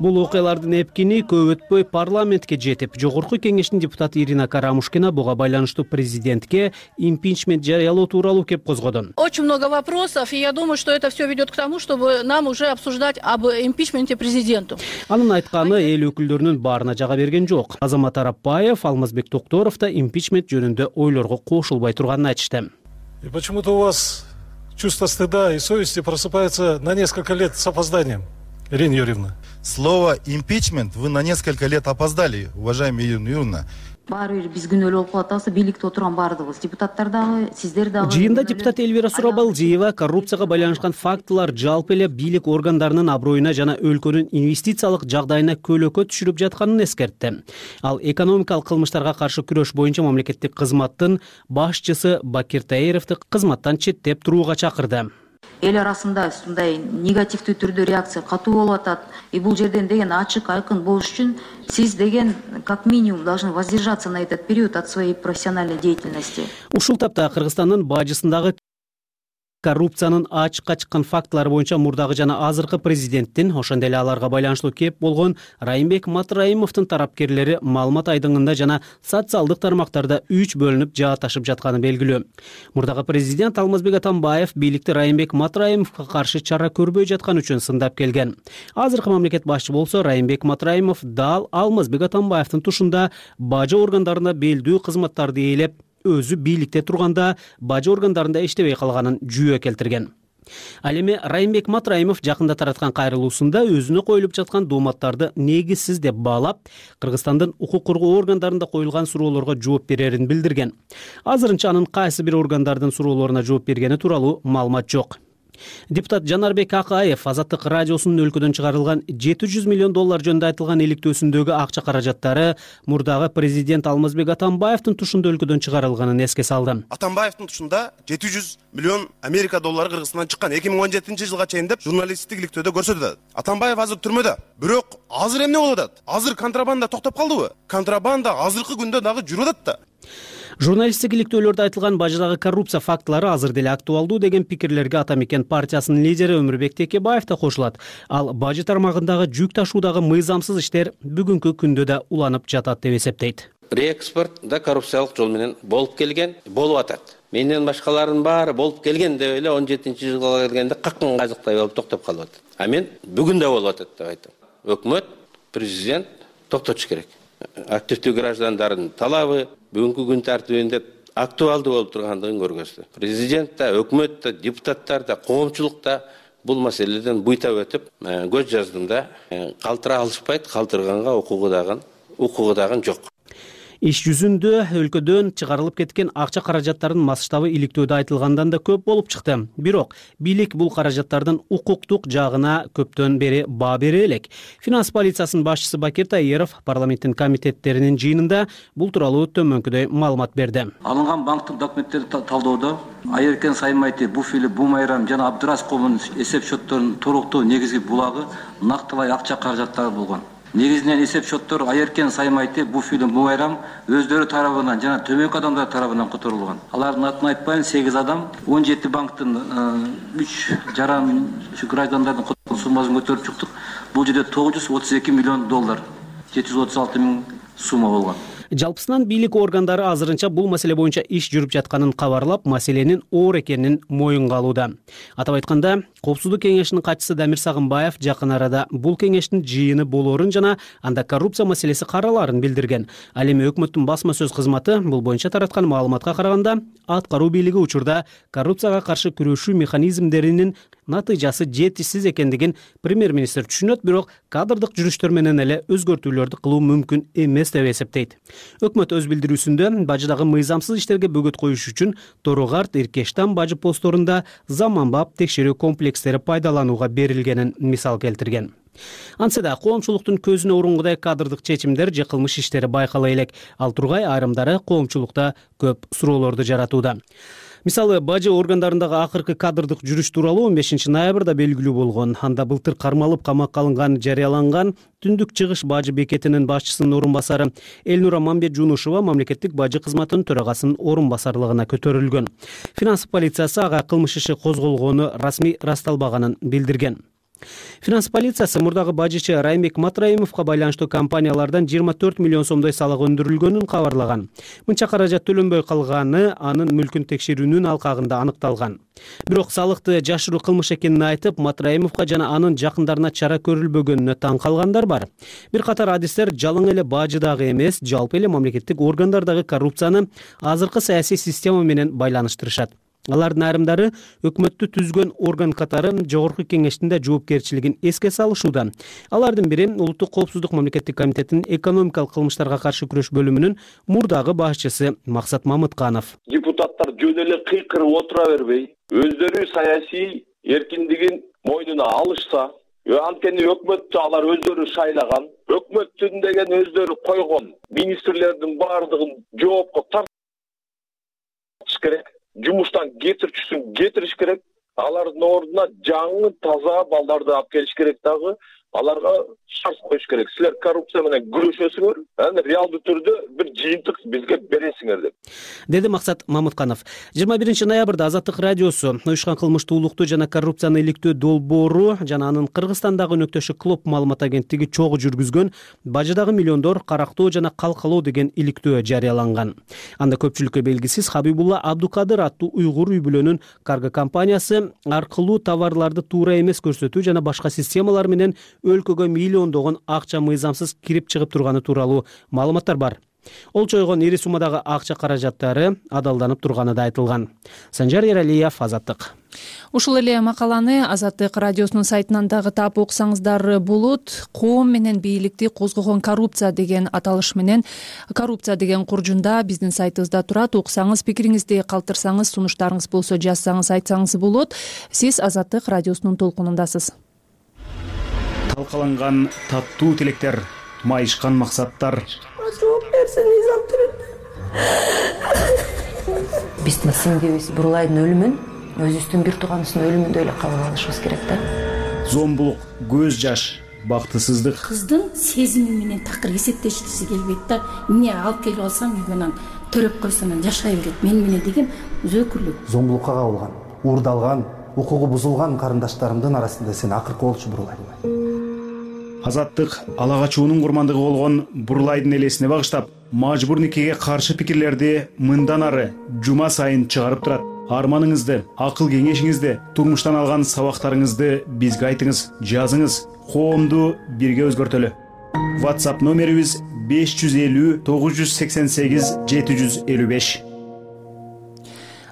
Бул окуялардын эпкини көп өтпөй парламентке жетип, жогорку кеңештин депутаты Ирина Карамушкина буга байланыштуу президентке импичмент жарыялоо тууралуу кеп козгоду. Очень много вопросов, и я думаю, что это все ведет к тому, чтобы нам уже обсуждать об импичменте президенту. Анын айтканы эл өкүлдөрүнүн баарына жага берген жок. Азамат Арапбаев, Алмазбек Токторов да импичмент жөнүндө ойлорго кошулбай турганын айтышты. И почему-то у вас чувство стыда и совести просыпается на несколько лет с опозданием. Ирина Юрьевна. Слово «импичмент» вы на несколько лет опоздали, уважаемая Ирина Юрьевна. Баары бир биз күнөөлүү болуп калып атабыз, бийликте отурган баардыгыбыз, депутаттар дагы, сиздер дагы. Жыйында депутат Элвира Сурабалдиева коррупцияга байланышкан фактылар жалпы эле бийлик органдарынын аброюна жана өлкөнүн инвестициялык жагдайына көлөкө түшүрүп жатканын эскертти. Ал экономикалык кылмыштарга каршы күрөш боюнча мамлекеттик кызматтын башчысы Бакир Таировду кызматтан четтеп турууга чакырды. Эл арасында ушундай негативдүү түрдө реакция катуу болуп атат. И бул жерден деген ачык, айкын болуш үчүн сиз деген как минимум должны воздержаться на этот период от своей профессиональной деятельности. Ушул тапта Кыргызстандын бажысындагы коррупциянын ачыкка чыккан фактылары боюнча мурдагы жана азыркы президенттин, ошондой эле аларга байланыштуу кеп болгон Райымбек Матраимовдун тарапкерлери маалымат айдыңында жана социалдык тармактарда үч бөлүнүп жааташып жатканы белгилүү. Мурдагы президент Алмазбек Атамбаев бийликти Райымбек Матраимовго каршы чара көрбөй жаткан үчүн сындап келген. Азыркы мамлекет башчы болсо Райымбек Матраимов дал Алмазбек Атамбаевдин тушунда бажы органдарына белдүү кызматтарды ээлеп, өзү бийликте турганда бажы органдарында иштебей калганын жүйө келтирген. Ал эми Райымбек Матраимов жакында тараткан кайрылуусунда өзүнө коюлуп жаткан дооматтарды негизсиз деп баалап, Кыргызстандын укук коргоо органдарында коюлган суроолорго жооп берерин билдирген. Азырынча анын кайсы бир органдардын суроолоруна жооп бергени тууралуу маалымат жок. Депутат Жанарбек Акаев Азаттык радиосунун өлкөдөн чыгарылган жети жүз миллион доллар жөнүндө айтылган иликтөөсүндөгү акча каражаттары мурдагы президент Алмазбек Атамбаевдин тушунда өлкөдөн чыгарылганын эске салды. Атамбаевдин тушунда жети жүз миллион Америка доллары Кыргызстандан чыккан эки миң он жетинчи жылга чейин деп журналисттик иликтөөдө көрсөтүлөт. Атамбаев азыр түрмөдө. Бирок азыр эмне болуп атат? Азыр контрабанда токтоп калдыбы? Контрабанда азыркы күндө дагы жүрүп атат да. Журналисттик иликтөөлөрдө айтылган бажыдагы коррупция фактылары азыр деле актуалдуу деген пикирлерге Ата мекен партиясынын лидери Өмүрбек Текебаев да кошулат. Ал бажы тармагындагы жүк ташуудагы мыйзамсыз иштер бүгүнкү күндө да уланып жатат деп эсептейт. Реэкспорт да коррупциялык жол менен болуп келген, болуп атат. Менден башкалардын баары болуп келген деп эле он жетинчи жылга келгенде каккан казыктай болуп токтоп калып атат. А мен бүгүн да болуп атат деп айтам. Өкмөт, президент токтотуш керек. Активдүү граждандардын талабы бүгүнкү күн тартибинде актуалдуу болуп тургандыгын көргөздү. Президент да, өкмөт да, депутаттар да, коомчулук да бул маселеден буйтап өтүп, көз жаздым да, калтыра алышпайт, калтырганга укугу дагы, укугу дагы жок. Иш жүзүндө өлкөдөн чыгарылып кеткен акча каражаттарынын масштабы иликтөөдө айтылгандан да көп болуп чыкты. Бирок бийлик бул каражаттардын укуктук жагына көптөн бери баа бере элек. Финанс полициясынын башчысы Бакир Таиров парламенттин комитеттеринин жыйынында бул тууралуу төмөнкүдөй маалымат берди. Алынган банктын документтерин талоодо Айеркен Саймайти, Буфили, Бумайрам жана Абдырас коомунун эсеп счетторунун туруктуу негизги булагы нактылай акча каражаттары болгон. Негизинен эсеп счеттор Айеркен Саймайти, Буфили, Бумайрам өздөрү тарабынан жана төмөнкү адамдар тарабынан которулган. Алардын атын айтпайын, сегиз адам он жети банктын үч жаран граждандардын которулган суммасын көтөрүп чыктык. Бул жерде тогуз жүз отуз эки миллион доллар, жети жүз отуз алты миң сумма болгон. Жалпысынан бийлик органдары азырынча бул маселе боюнча иш жүрүп жатканын кабарлап, маселенин оор экенин моюнга алууда. Атап айтканда, Коопсуздук кеңешинин катчысы Дамир Сагынбаев жакын арада бул кеңештин жыйыны болоорун жана анда коррупция маселеси каралаарын билдирген. Ал эми өкмөттүн басма сөз кызматы бул боюнча тараткан маалыматка караганда, аткаруу бийлиги учурда коррупцияга каршы күрөшүү механизмдеринин натыйжасы жетишсиз экендигин премьер-министр түшүнөт, бирок кадрдык жүрүштөр менен эле өзгөртүүлөрдү кылуу мүмкүн эмес деп эсептейт. Өкмөт өз билдирүүсүндө бажыдагы мыйзамсыз иштерге бөгөт коюш үчүн Торугарт, Иркештан бажы постторунда заманбап текшерүү комплекстери пайдаланууга берилгенин мисал келтирген. Антсе да коомчулуктун көзүнө урунгудай кадрдык чечимдер же кылмыш иштери байкала элек. Ал тургай айрымдары коомчулукта көп суроолорду жаратууда. Мисалы, бажы органдарындагы акыркы кадрдык жүрүш тууралуу он бешинчи ноябрда белгилүү болгон. Анда былтыр кармалып камакка алынган жарыяланган Түндүк чыгыш бажы бекетинин башчысынын орун басары Элнура Мамбет-Жунушева мамлекеттик бажы кызматынын төрагасынын орун басарлыгына көтөрүлгөн. Финанс полициясы ага кылмыш иши козголгону расмий ырасталбаганын билдирген. Финанс полициясы мурдагы бажычы Раймбек Матраимовго байланыштуу компаниялардан жыйырма төрт миллион сомдой салык өндүрүлгөнүн кабарлаган. Мынча каражат төлөнбөй калганы анын мүлкүн текшерүүнүн алкагында аныкталган. Бирок салыкты жашыруу кылмыш экенин айтып, Матраимовго жана анын жакындарына чара көрүлбөгөнүнө таң калгандар бар. Бир катар адистер жалаң эле бажыдагы эмес, жалпы эле мамлекеттик органдардагы коррупцияны азыркы саясий система менен байланыштырышат. Алардын айрымдары өкмөттү түзгөн орган катары жогорку кеңештин да жоопкерчилигин эске салышууда. Алардын бири Улуттук коопсуздук мамлекеттик комитетинин экономикалык кылмыштарга каршы күрөш бөлүмүнүн мурдагы башчысы Максат Мамытканов. Депутаттар жөн эле кыйкырып отура бербей, өздөрү саясий эркиндигин мойнуна алышса, анткени өкмөттү алар өздөрү шайлаган, өкмөттүн деген өздөрү койгон министрлердин баардыгын жоопко тартыш керек. Жумуштан кетирчүсүн кетириш керек. Алардын ордуна жаңы таза балдарды алып келиш керек дагы. Аларга шарт коюш керек. Силер коррупция менен күрөшөсүңөр, анан реалдуу түрдө бир жыйынтык бизге бересиңер деп. Деди Максат Мамытканов. жыйырма биринчи ноябрда Азаттык радиосу уюшкан кылмыштуулукту жана коррупцияны иликтөө долбоору жана анын Кыргызстандагы өнөктөшү Клоп маалымат агенттиги чогуу жүргүзгөн бажыдагы миллиондор карактоо жана калкалоо деген иликтөө жарыяланган. Анда көпчүлүккө белгисиз Хабибулла Абдукадыр аттуу уйгур үй бүлөнүн карго компаниясы аркылуу товарларды туура эмес көрсөтүү жана башка системалар менен өлкөгө миллиондогон акча мыйзамсыз кирип чыгып турганы тууралуу маалыматтар бар. Ол чойгон ири суммадагы акча каражаттары адалданып турганы да айтылган. Санжар Эралиев, Азаттык. Ушул эле макаланы Азаттык радиосунун сайтынан дагы таап окусаңыздар болот. Коом менен бийликти козгогон коррупция деген аталыш менен коррупция деген куржунда биздин сайтыбызда турат. Окусаңыз, пикириңизди калтырсаңыз, сунуштарыңыз болсо жазсаңыз, айтсаңыз болот. Сиз Азаттык радиосунун толкунундасыз. Талкаланган таттуу тилектер, майышкан максаттар. Биздин сиңдибиз Бурлайдын өлүмүн өзүбүздүн бир тууганыбыздын өлүмүндөй эле кабыл алышыбыз керек да. Зомбулук, көз жаш, бактысыздык. Кыздын сезими менен такыр эсептешкиси келбейт да. Эмне алып келип алсам үйгөнөн төрөп койсоң жашай берет. Мен менен деген өзөкүрлүк. Зомбулукка кабылган, уурдалган, укугу бузулган карындаштарымдын арасында сен акыркы болчу Бурлай. Азаттык ала качуунун курмандыгы болгон Бурлайдын элесине багыштап, мажбур никеге каршы пикирлерди мындан ары жума сайын чыгарып турат. Арманыңызды, акыл кеңешиңизди, турмуштан алган сабактарыңызды бизге айтыңыз, жазыңыз. Коомду бирге өзгөртөлү. WhatsApp номерибиз беш жүз элүү тогуз жүз сексен сегиз жети жүз элүү беш.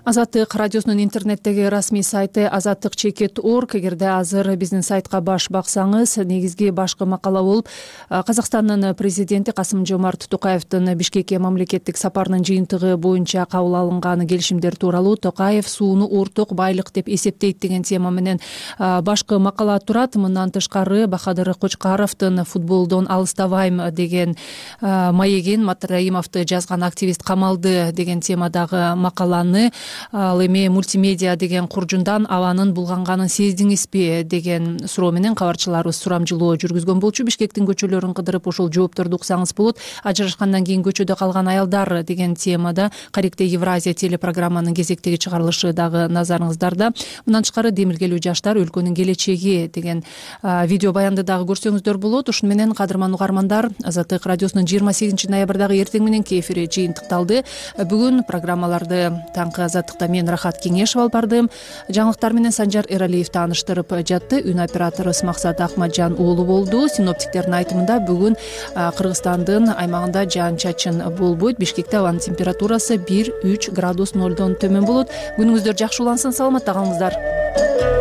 Азаттык радиосунун интернеттеги расмий сайты азаттык чекит орг. Эгерде азыр биздин сайтка баш баксаңыз, негизги башкы макала болуп Казакстандын президенти Касым-Жомарт Токаевдин Бишкекке мамлекеттик сапарынын жыйынтыгы боюнча кабыл алынган келишимдер тууралуу Токаев сууну орток байлык деп эсептейт деген тема менен башкы макала турат. Мындан тышкары Бахадыр Кочкаровдун футболдон алыстабайм деген маегин Матраимовду жазган активист камалды деген темадагы макаланы, ал эми мультимедиа деген куржундан абанын булганганын сездиңизби деген суроо менен кабарчыларыбыз сурамжылоо жүргүзгөн болчу. Бишкектин көчөлөрүн кыдырып ошол жоопторду уксаңыз болот. Ажырашкандан кийин көчөдө калган аялдар деген темада Каректе Евразия телепрограмманын кезектеги чыгарылышы дагы назарыңыздарда. Мындан тышкары демилгелүү жаштар өлкөнүн келечеги деген видео баянды дагы көрсөңүздөр болот. Ушуну менен кадырман угармандар, Азаттык радиосунун жыйырма сегизинчи ноябрдагы эртең мененки эфири жыйынтыкталды. Бүгүн программаларды таңкы Азаттыкта мен Рахат Кеңешов алып бардым. Жаңылыктар менен Санжар Эралиев тааныштырып жатты. Үн оператору Максат Ахматжан уулу болду. Синоптиктердин айтымында бүгүн Кыргызстандын аймагында жаан-чачын болбойт. Бишкекте абанын температурасы бир үч градус нолдон төмөн болот. Күнүңүздөр жакшы улансын, саламатта калыңыздар.